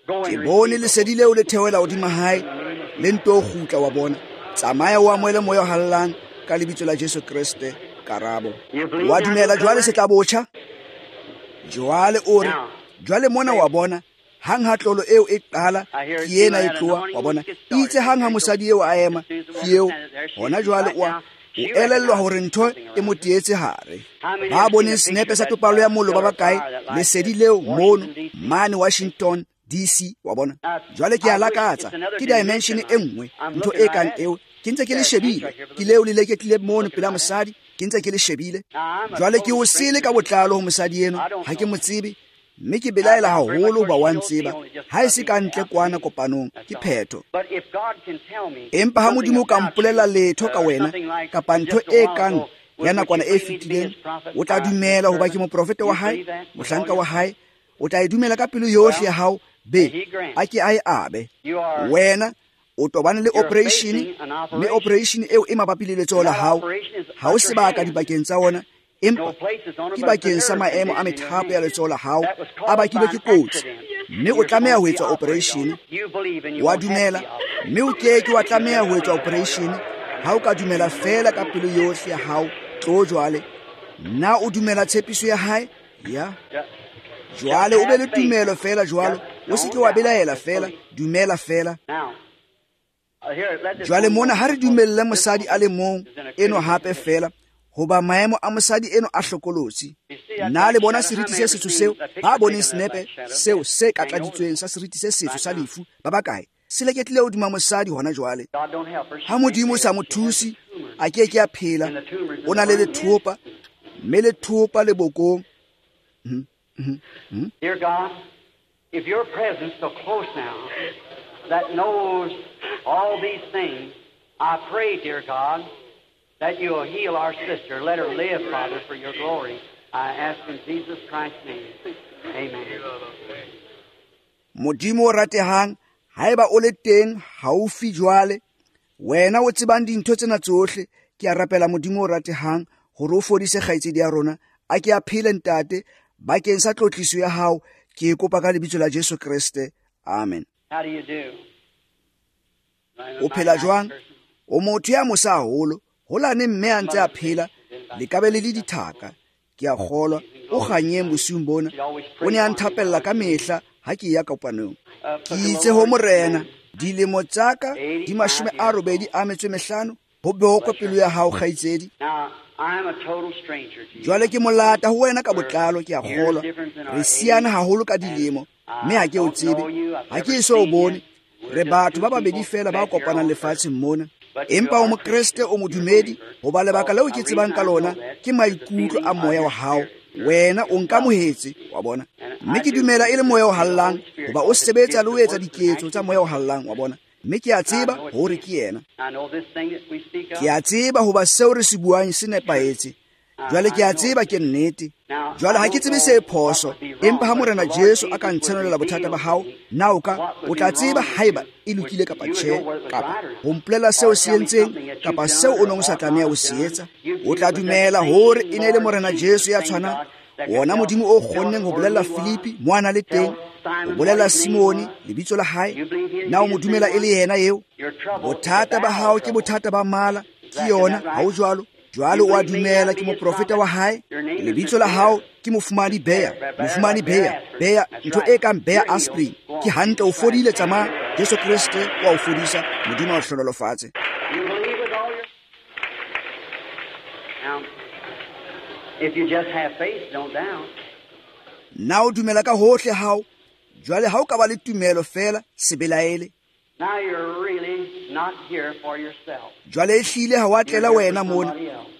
Go Ke and bone receive. lesedi leo le theohela hodima hae, le nto kgutla, wa bona. Tsamaya o amohele moya o hallang ka lebitso la Jesu Kreste. Karabo. Wa dumela jwale se tla botjha? Jwale o re, jwale mona wa bona, hang ha tlolo eo e qala, ke ena e tloha, wa bona. Itse hang ha mosadi eo a ema, ke eo hona jwale o a o elellwa hore ntho e mo teetse hare. Ba boneng senepe sa topallo ya mollo ba bakae, lesedi leo mono mane Washington D C, wa bona. Jwale ke a lakatsa, ke dimension e nngwe, ntho e kang eo. Ke ntse ke le shebile, ke leo le leketlile mono pela mosadi, ke ntse ke le shebile. Jwale ke o sele ka botlalo ho mosadi eno, ha ke mo tsebe, mme ke belaela haholo hoba wa ntseba. Ha e se ka ntle kwana kopanong, ke phetho. But if God can tell me Empa ha Modimo o ka mpolella letho ka wena, kapa ntho e kang ya nakwana e fetileng, o tla dumela hoba ke moprofeta wa hae, mohlanka wa hae. O tla e dumela ka pelo yohle ya hao, be a ke a e abe. Wena o tobane le operation, mme operation eo e mabapi le letsoho la hao. Ha o sebaka dibakeng tsa ona, empa ke bakeng sa maemo a methapo ya letsoho la hao a bakilwe ke kotsi, mme o tlameha ho etswa operation. Wa dumela, mme o ke ke wa tlameha ho etswa operation ha o ka dumela feela ka pelo yohle ya hao. Tlo jwale, na o dumela tshepiso ya hae? Ya. Jwale o be le tumelo feela jwalo, o se ke wa belaela feela, dumela feela. Jwale mona ha re dumelle mosadi a le mong eno hape feela, hoba maemo a mosadi eno a hlokolotsi. Na le bona seriti se setsho seo? Ba boneng senepe seo se katladitsweng sa seriti se setsho sa lefu ba bakae? Se leketlile hodima mosadi hona jwale. Ha Modimo o sa mo thuse, a ke ke a phela. O na le lethopa, mme lethopa le bokong. Mm-hmm. Dear God, if your presence so close now that knows all these things, I pray, dear God, that you will heal our sister. Let her live, Father, for your glory. I ask in Jesus Christ's name. Amen. Modimo o ratehang, haeba o le teng haufi jwale, wena o tsebang dintho tsena tsohle, ke a rapela Modimo o ratehang hore o fodise kgaitsedi ya rona, a ke a phele ntate, bakeng sa tlotliso ya hao, ke e kopa ka lebitso la Jesu Kreste. Amen. How do you do? O phela jwang? O motho ya mosa haholo, holane mme a ntse a phela, le ka be le le dithaka. Ke a kgolwa o kganyeng bosiung bona. O ne a nthapella ka mehla ha ke ya kopanong. Ke itse ho Morena, dilemo tsa ka di mashome a robedi a metso e mehlano, ho bokwe pelo ya hao kgaitsedi. Jwale ke molata ho wena ka botlalo, ke a kgolwa re siana haholo ka dilemo, mme ha ke o tsebe, ha ke eso o bone, Re batho ba babedi feela ba kopanang lefatsheng mona. Empa o mokreste, o modumedi, hoba lebaka leo ke tsebang ka lona ke maikutlo a moya wa hao. Wena o nkamohetse, wa bona. Mme ke dumela e le moya o hallang, hoba o sebetsa le ho etsa diketso tsa moya o hallang, wa bona. Mme ke a tseba hore ke yena. Ke a tseba hoba seo re se buang se nepahetse. Jwale ke a tseba ke nnete. Jwale ha ke tsebe se phoso, empa ha Morena Jesu a ka ntshenolela bothata ba hao, na o ka o tla tseba haeba e lokile kapa tjhe, kapa ho mpolela seo se entseng kapa seo o neng o sa tlameha ho se etsa. O tla dumela hore e ne le Morena Jesu ya tshwanang, wona Modimo o kgonneng ho bolella Filipi mo a na le teng, ho bolella Simone lebitso la hae. Na o mo dumela e le yena eo? Bothata ba hao ke bothata ba mala, ke yona, ha o jwalo? Jwale o a dumela ke moprofeta wa hae? Lebitso la hao ke mofumadi Bea, mofumadi Bea, Bea, ntho e kang Bea aspirin. Ke hantle, o fodile, tsamaya. Jesu Kreste wa o fodisa. Modimo a o hlohonolofatse. Na o dumela ka hohle hao? Jwale ha o ka ba le tumelo feela, se belaele. Now you're really not here for yourself. Jwale ehlile ha wa tlela wena mona.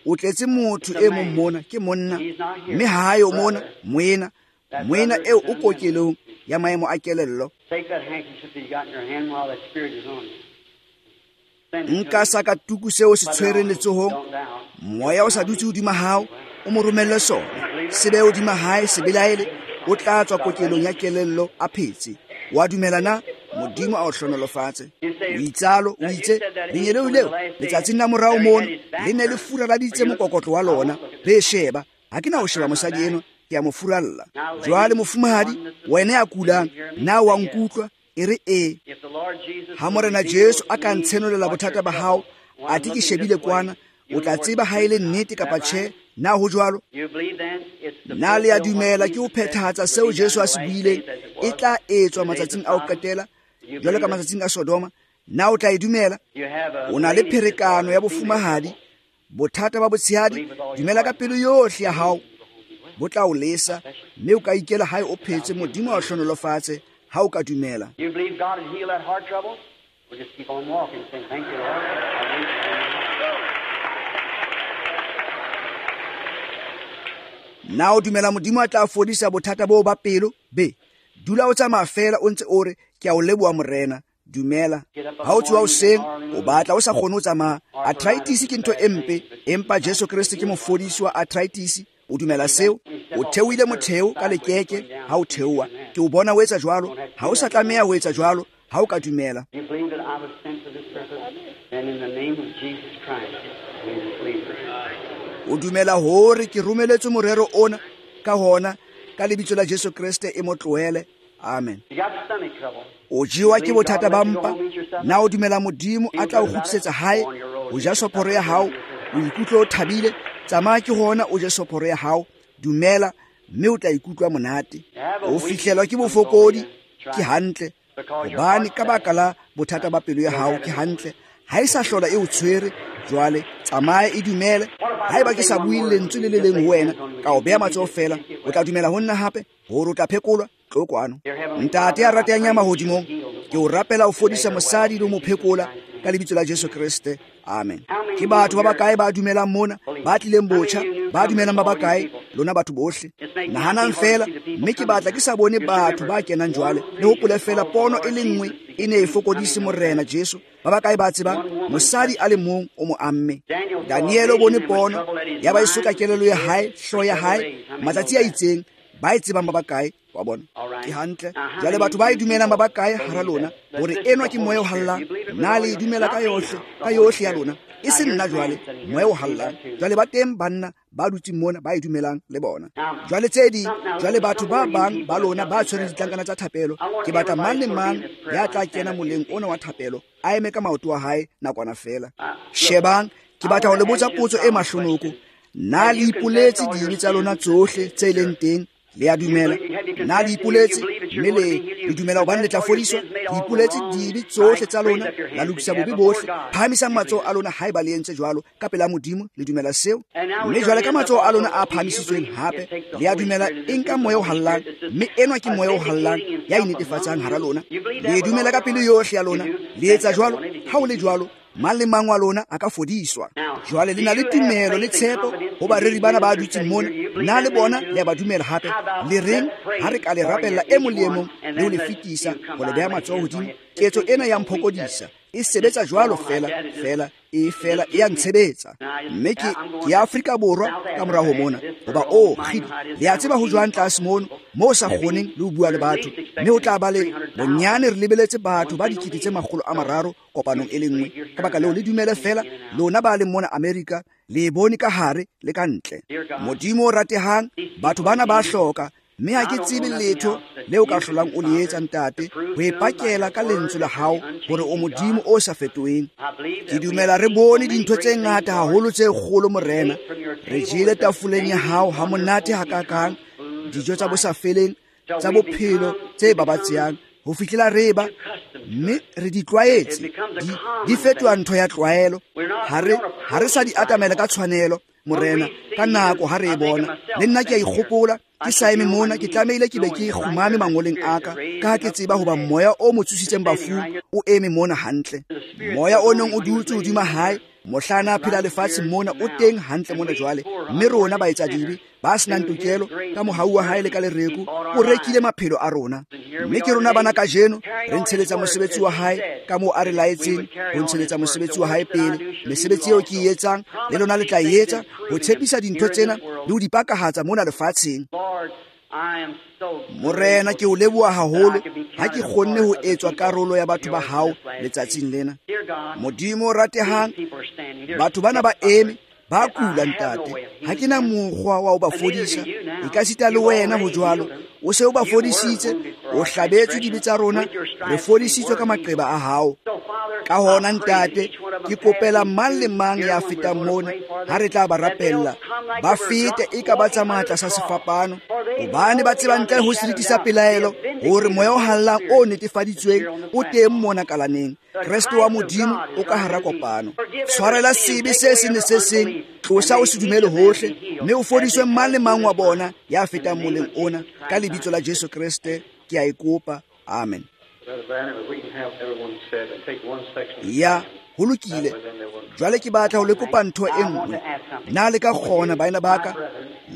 O tletse motho e mong mona, ke monna. Mme ha ayo mona, moena. Moena eo o kokelong ya maemo a kelello. Take that handkerchief that you got in your hand while that spirit is on you. Nka sakatuku seo se tshwereng letsohong. Moya o sa dutse hodima hao, o mo romelle sona. Se be hodima hae, se belaele, o tla tswa kokelong ya kelello a phetse. Wa dumela na? Modimo a o hlohonolofatse. O itsalo, o itse, lengeloi leo letsatsing la morao mono le ne le furaladitse mokokotlo wa lona. Be sheba, ha ke na ho sheba mosadi enwa, ke a mo furalla. Jwale mofumahadi, wena ya kulang, na wa nkutlwa? E re ee. Ha Morena Jesu a ka ntshenolela bothata ba hao, athe ke shebile kwana, o tla tseba ha e le nnete kapa tjhe. Na ho jwalo? Na le a dumela ke ho phethahatsa seo Jesu a se buileng e tla etswa matsatsing a ho qetela, jwalo ka matsatsing a Sodoma? Na o tla e dumela? O na le pherekano ya bofumahadi, bothata ba botshehadi, dumela ka pelo yohle ya hao, bo tla o lesa, mme o ka ikela hae o phetse. Modimo a o hlohonolofatse ha o ka dumela. You believe God will heal that heart trouble? We'll just keep on walking, saying, thank you, Lord. Na o dumela Modimo a tla fodisa bothata boo ba pelo? Be, dula o tsamaya feela o ntse o re, ke a o leboha Morena. Dumela. Ha o tsoha hoseng, o batla o sa kgone ho tsamaya. Arthritis ke ntho e mpe, empa Jesu Kreste ke mofodisi wa arthritis. O dumela seo? O theohile motheo ka lekeke ha o theoha. Ke o bona o etsa jwalo. Ha o sa tlameha ho etsa jwalo, ha o ka dumela. You believe that I was sent for this purpose, and in the name of Jesus Christ, we believe. O dumela hore ke romeletswe morero ona, ka hona ka lebitso la Jesu Kreste e mo tlohele. Amen. You got stomach trouble. O jewa ke bothata ba mpa. Na o dumela Modimo a tla o kgutlisetsa hae, o ja soporo ya hao, o ikutlwe o thabile? Tsamaya ke hona o je soporo ya hao, dumela, mme o tla ikutlwa monate. O fihlelwa ke bofokodi, ke hantle, hobane ka baka la bothata ba pelo ya hao, ke hantle. Ha e sa hlola e o tshwere, jwale tsamaya e dumele. Haeba ke sa bue lentswe le le leng ho wena, ka o beha matsoho feela, o tla dumela ho nna hape hore o tla phekolwa. Tlo kwano. Ntate ya ratehang ya mahodimong, ke o rapela o fodisa mosadi le ho mo phekola ka lebitso la Jesu Kreste. Amen. Ke batho ba bakae ba dumelang mona, ba tlileng botjha, ba dumelang ba bakae? Lona batho bohle. Nahanang feela, mme ke batla ke sa bone batho ba kenang jwale. Le hopole feela pono e le nngwe e ne e fokodise Morena Jesu. Ba bakae ba tsebang mosadi a le mong o mo amme? Daniel o bone pono, ya ba e sotla kelello ya hae, hlooho ya hae, matsatsi a itseng. Ba e tsebang ba bakae? Wa bona? Ke hantle. Jwale batho ba e dumelang ba bakae hara lona hore enwa ke moya o hallang? Na le e dumela ka yohle, ka yohle ya lona? E se nna jwale, moya o hallang. Jwale ba teng banna ba dutseng mona ba e dumelang le bona. Jwale tse ding, jwale batho ba bang ba lona ba tshwereng ditlankana tsa thapelo, ke batla mang le mang ya tla kena moleng ona wa thapelo a eme ka maoto a hae nakwana feela. Shebang, ke batla ho le botsa potso e mahlonoko. Na le ipoletse dibe tsa lona tsohle tse leng teng Le a dumela? Na le ipoletse mme le le dumela hobane le tla fodiswa? Le ipoletse dibe tsohle tsa lona, la lokisa bobe bohle. Phahamisang matsoho a lona haeba le entse jwalo ka pela Modimo, le dumela seo. Mme jwale ka matsoho a lona a phahamisitsweng hape, le a dumela e nka moya o hallang, mme enwa ke moya o hallang ya inetefatsang hara lona. Le dumela ka pelo yohle ya lona, le etsa jwalo. Ha o le jwalo, mang le mang wa lona a ka fodiswa. Jwale le na le tumelo le tshepo ho bareri bana ba dutseng mona. Na le bona le a ba dumela hape? Le reng ha re ka le rapella e mong le e mong le ho le fetisa ho le beha matsoho hodimo? Ketso ena ya mphokodisa e sebetsa jwalo fela fela e fela e a ntshebetsa. Mme ke ke ya Afrika Borwa ka mora ho mona, hoba o kgidi le a tseba ho jwang tlase mono moo sa kgoneng le ho bua le batho, mme ho tla ba le bonyane re lebeletse batho ba dikete tse makgolo a mararo kopanong e le nngwe. Ka baka leo le dumele fela, lona ba leng mona Amerika, le e bone ka hare le ka ntle. Modimo o ratehang, batho bana ba hloka, mme ha ke tsebe letho leo ka hlolang o le etsa ntate, ho e pakela ka lentswe la hao hore o Modimo o sa fetoheng. Ke dumela re bone dintho tse ngata haholo tse kgolo Morena. Re jele tafoleng ya hao ha monate hakakang, dijo tsa bosafeleng tsa bophelo tse babatsehang ho fihlela re ba, mme re di tlwaetse, di, di fetoha ntho ya tlwaelo. Ha re ha re sa di atamela ka tshwanelo Morena, ka nako ha re e bona. Le nna ke a ikgopola ke sa eme mona, ke tlamehile ke be ke kgumame mangoleng a ka, ka ha ke tseba hoba moya o mo tsositseng bafung o eme mona hantle. Moya o neng o dutse hodima hae mohlana a phela lefatsheng mona o teng hantle mona jwale. Mme rona baetsadibe ba senang tokelo, ka mohau wa hae le ka lereko o rekile maphelo a rona. Mme ke rona bana kajeno re ntsheletsa mosebetsi wa hae ka moo a re laetseng ho ntsheletsa mosebetsi wa hae pele. Mesebetsi eo ke e etsang le lona le tla e etsa, ho tshepisa dintho tsena le ho di pakahatsa mona lefatsheng. Morena, ke o leboha haholo ha ke kgonne ho etswa karolo ya batho ba hao letsatsing lena. Modimo o ratehang, batho bana ba eme ba kula ntate, ha ke na mokgwa wa ho ba fodisa, e ka sita le wena ho jwalo. O se o ba fodisitse, o hlabetswe dibe tsa rona, re fodisitswe ka maqeba a hao. Ka hona ntate, ke kopela mang le mang ya fetang mona, ha re tla ba rapella, ba fete e ka ba tsamaya tlasa sefapano, hobane ba tseba ntle ho seriti sa pelaelo hore moya o hallang o netefaditsweng o teng mona kalaneng. Kreste wa Modimo o ka hara kopano. Tshwarela sebe se seng le se seng, tlosa o se dumele hohle, mme o fodiswe mang le mang wa bona ya fetang moleng ona. Ka lebitso la Jesu Kreste ke a e kopa. Amen. Ya, ho lokile. Jwale ke batla ho le kopa ntho e nngwe. Na le ka kgona baena ba ka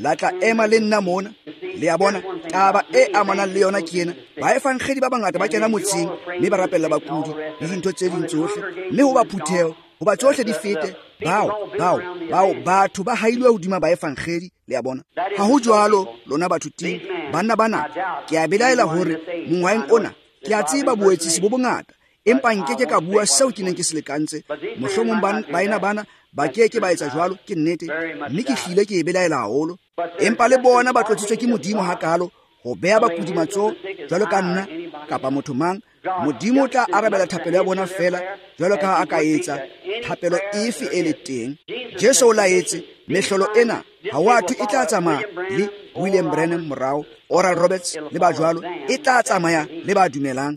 la tla ema le nna mona? Le a bona, taba e amanang le yona ke ena. Baefangedi ba bangata ba kena motseng mme ba rapella bakudi le dintho tse ding tsohle, mme ho ba phutheho, hoba tsohle di fete, bao bao bao batho ba hailwe hodima baefangedi. Le a bona, ha ho jwalo lona batho ting banna bana. Ke a belaela hore mongwaheng ona ke a tseba boetsisi bo bongata, empa nkeke ka bua seo ke neng ke se lekantse. Mohlomong baena bana ba keke ba etsa jwalo, ke nnete, mme ke hlile ke e belaela haholo. Empa le bona ba tlotsitswe ke Modimo hakalo ho beha bakudi matsoho jwalo ka nna kapa motho mang. Modimo o tla arabela thapelo ya bona fela jwalo ka ha a ka etsa thapelo efe e le teng. Jesu o laetse mehlolo ena ha wa thwe e tla tsamaya le William Branham morao, Oral Roberts le ba jwalo, e tla tsamaya le ba dumelang.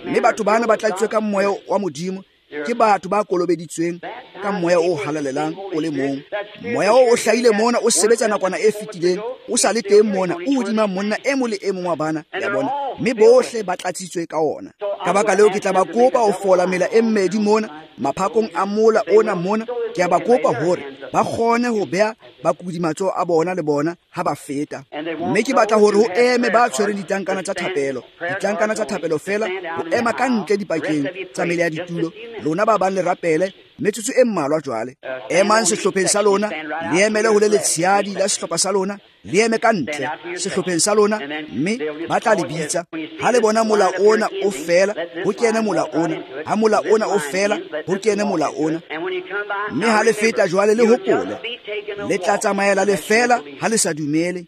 Mme batho bana ba tlatsitswe ka moya wa Modimo, ke batho ba kolobeditsweng ka moya o halalelang o le mong. Moya o o hlahile mona o sebetsa nakwana e fetileng, o sa le teng mona, o hodima monna e mong le e mong wa bana ya bona, mme bohle ba tlatsitswe ka ona. Ka baka leo ke tla ba kopa ho fola mela e mmedi mona maphakong a mola ona mona. Ke a ba kopa hore ba kgone ho beha bakudi matsoho a bona le bona ha ba feta. Mme ke batla hore ho eme ba tshwereng ditlankana tsa thapelo, ditlankana tsa thapelo fela, ho ema ka ntle dipakeng tsa mele ya ditulo. Lona ba bang le rapele metsotso e mmalwa jwale. Emang sehlopheng sa lona, le emele ho le letshehadi la sehlopha sa lona, le eme ka ntle sehlopheng sa lona, mme ba tla le bitsa. Ha le bona mola ona o fela, ho kene mola ona. Ha mola ona o fela, ho kene mola ona. Mme ha le feta jwale le hopole, le tla tsamaela le fela ha le sa dumele.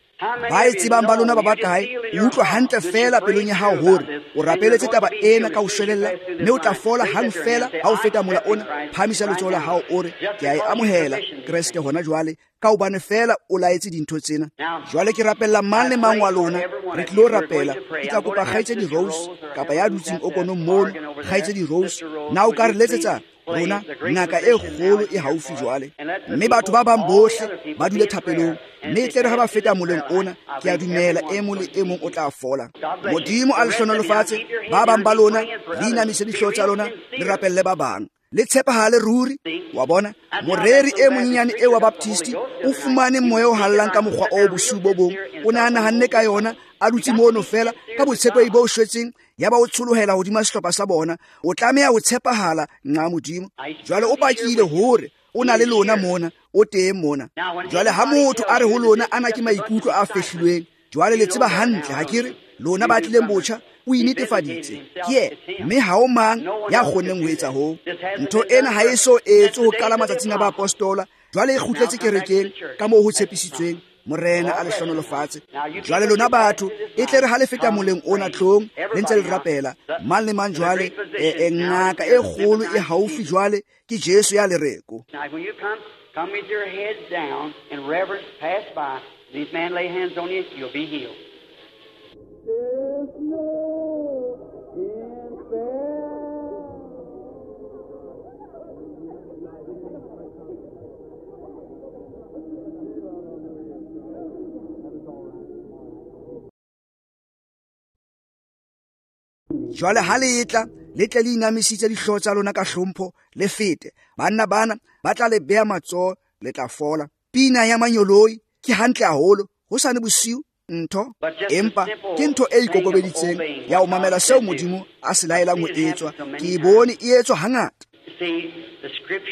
Ba e tsebang ba lona ba ba kae, o utlwa hantle fela pelong ya hao hore o rapeletse taba ena ka ho shwelella, mme o tla fola hang fela ha o feta mola ona. Phahamisa letsoho la hao o re, ke a e amohela Kreste hona jwale, ka hobane fela o laetse dintho tsena. Jwale ke rapella mang le mang wa lona, re tlilo rapela. Ke tla kopa kgaitsedi Rose kapa ya dutseng okonong mono, kgaitsedi Rose, na o ka re letsetsa rona ngaka e kgolo e haufi jwale, mme batho ba bang bohle ba dule thapelong, mme e tle re ha ba feta moleng ona, ke a dumela e mong le e mong o tla fola. Modimo a le hlohonolofatse. Ba bang ba lona le inamise dihlooho tsa lona, le rapelle ba bang, le tshepahale ruri. Wa bona, moreri e monyenyane e wa Baptist o fumane moya o hallang ka mokgwa o bosiu bo bong. O ne a nahanne ka yona, a dutse mono fela ka botshepehi bo shwetseng, ya ba o tsholohela hodima sehlopha sa bona. O tlameha ho tshepahala nqa Modimo. Jwale o pakile hore o na le lona mona, o teng mona. Jwale ha motho a re ho lona ana ke maikutlo a fehlilweng, jwale le tseba hantle ha ke re lona ba tlileng botjha, o inetefaditse ke yena, mme ha o mang ya kgonneng ho etsa hoo. Ntho ena ha e so etswe ho qala matsatsing a baapostola, jwale e kgutletse kerekeng ka moo ho tshepisitsweng. Morena a le hlohonolofatse. Jwale lona batho, e tle re ha le feta moleng ona tlong, le ntse le rapela mang le mang. Jwale e ngaka e kgolo e haufi jwale ke Jesu ya lereko. Come with your heads down in reverence, pass by. These men lay hands on you, you'll be healed. There's no infirmity. Jwale ha le etla, le tle le inamisitse dihlooho tsa lona ka hlompho, le fete. Banna bana ba tla le beha matsoho, le tla fola. Pina ya manyoloi ke hantle haholo, hosane bosiu ntho, empa ke ntho e ikokobeditseng ya ho mamela seo Modimo a se laelang ho etswa. Ke e bone e etswa hangata.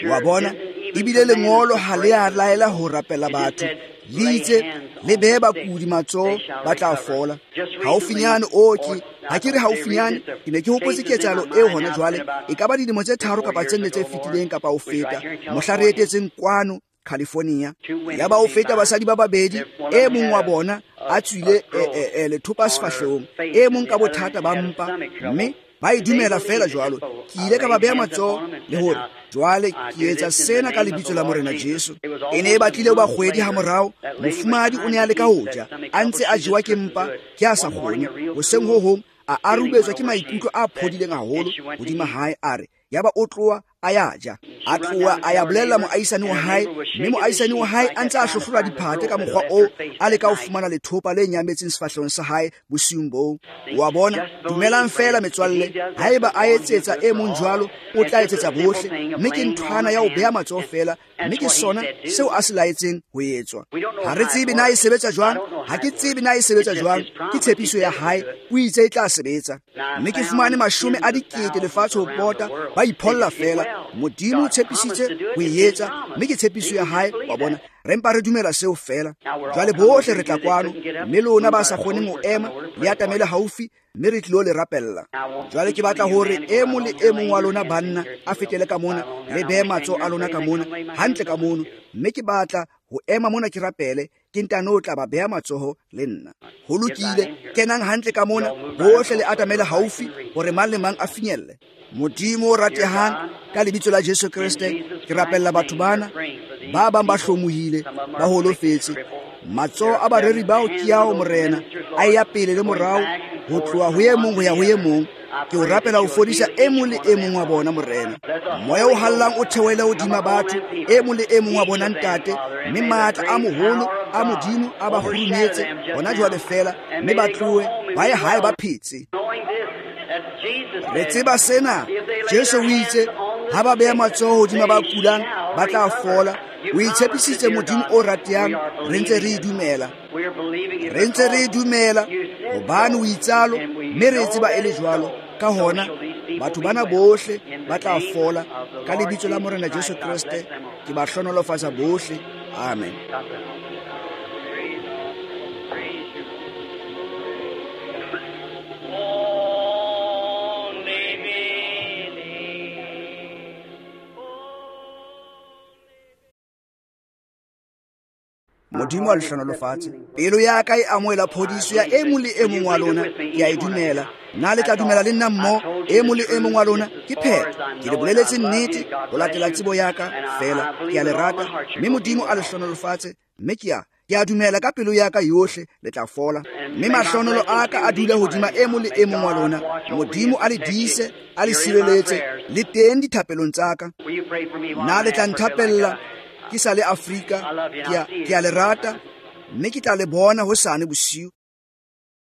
Wa bona, ebile lengolo ha le a laela ho rapela batho, le itse le behe bakudi matsoho, ba tla fola. Haufinyane o ke ha ke re haufinyane, ke ne ke hopotse ketsahalo eo hona jwale, e ka ba dilemo tse tharo kapa tse nne tse fetileng kapa ho feta, mohla re etetseng kwano California. Ya ba o feta basadi ba babedi, e mong wa bona a tswile lethopa sefahlehong, e mong ka bothata ba mpa, mme ba e dumela fela jwalo. Ke ile ka ba beha matsoho le hore jwale ke etsa sena ka lebitso la Morena Jesu. E ne e batlile ho ba kgwedi ha morao, mofumahadi o ne a leka ho ja, a ntse a jewa ke mpa, ke a sa kgone. Hoseng ho hong a arubetswa ke maikutlo a phodileng haholo hodima hae, a re yaba o tloha a ya ja. A tloha a ya bolella moahisani wa hae, mme moahisani wa hae a ntse a hlohlola diphate ka mokgwa oo, a leka ho fumana lethopa le nyametseng sefahlehong sa hae bosiung boo. Wa bona, dumelang fela metswalle, haeba a etsetsa e mong jwalo, o tla etsetsa bohle. Mme ke nthwana ya ho beha matsoho fela, mme ke sona seo a se laetseng ho etswa. Ha re tsebe na e sebetsa jwang, ha ke tsebe na e sebetsa jwang, ke tshepiso ya hae, o itse e tla sebetsa. Mme ke fumane mashome a dikete lefatshe ho pota, ba ipholla fela. Modimo o tshepisitse ho e etsa, mme ke tshepiso ya hae. Wa bona, re mpa re dumela seo fela. Jwale bohle re tla kwano, mme lona ba sa kgoneng ho ema, le atamele haufi, mme re tlilo le rapella. Jwale ke batla hore e mong le e mong wa lona banna a fetele ka mona, le behe matsoho a lona ka mona, hantle ka mono, mme ke batla ho ema mona ke rapele, ke ntano tla ba beha matsoho le nna. Ho lokile, kenang hantle ka mona, bohle le atamele haufi hore mang le mang a finyelle. Modimo o ratehang, ka lebitso la Jesu Kreste, ke rapella batho bana, ba bang ba hlomohile, ba holofetse. Matsoho a bareri bao ke ao Morena, a ya pele le morao, ho tloha ho e mong ho ya ho e mong. Ke o rapela ho fodisa e mong le e mong wa bona, Morena. Moya o hallang o theohele hodima batho, e mong le e mong wa bona, Ntate, mme matla a moholo a Modimo a ba kgurumetse hona jwale fela, mme ba tlohe ba ye hae ba phetse. Re tseba sena, Jesu o itse ha ba beha matsoho hodima ba kulang, ba tla fola. O itshepisitse Modimo o ratehang, re ntse re e dumela. Re ntse re e dumela hobane o itsalo, mme re tseba e le jwalo. Ka hona batho bana bohle ba tla fola ka lebitso la Morena Jesu Kreste. Ke ba hlohonolofatsa bohle. Amen. Modimo a le hlohonolofatse. Pelo ya ka e amohela phodiso ya e mong le e mong wa lona. Ke a e dumela. Na le tla dumela le nna mmoho, e mong le e mong wa lona? Ke phetho. Ke le boleletse nnete ho latela tsebo ya ka feela. Ke a le rata, mme Modimo a le hlohonolofatse. Mme ke a ke a dumela ka pelo ya ka yohle le tla fola. Mme mahlohonolo a ka a dula hodima e mong le e mong wa lona. Modimo a le dise, a le sireletse, le teng dithapelong tsa ka. Na le tla nthapella ke sa le Afrika? Ke a, ke a le rata, mme ke tla le bona hosane bosiu.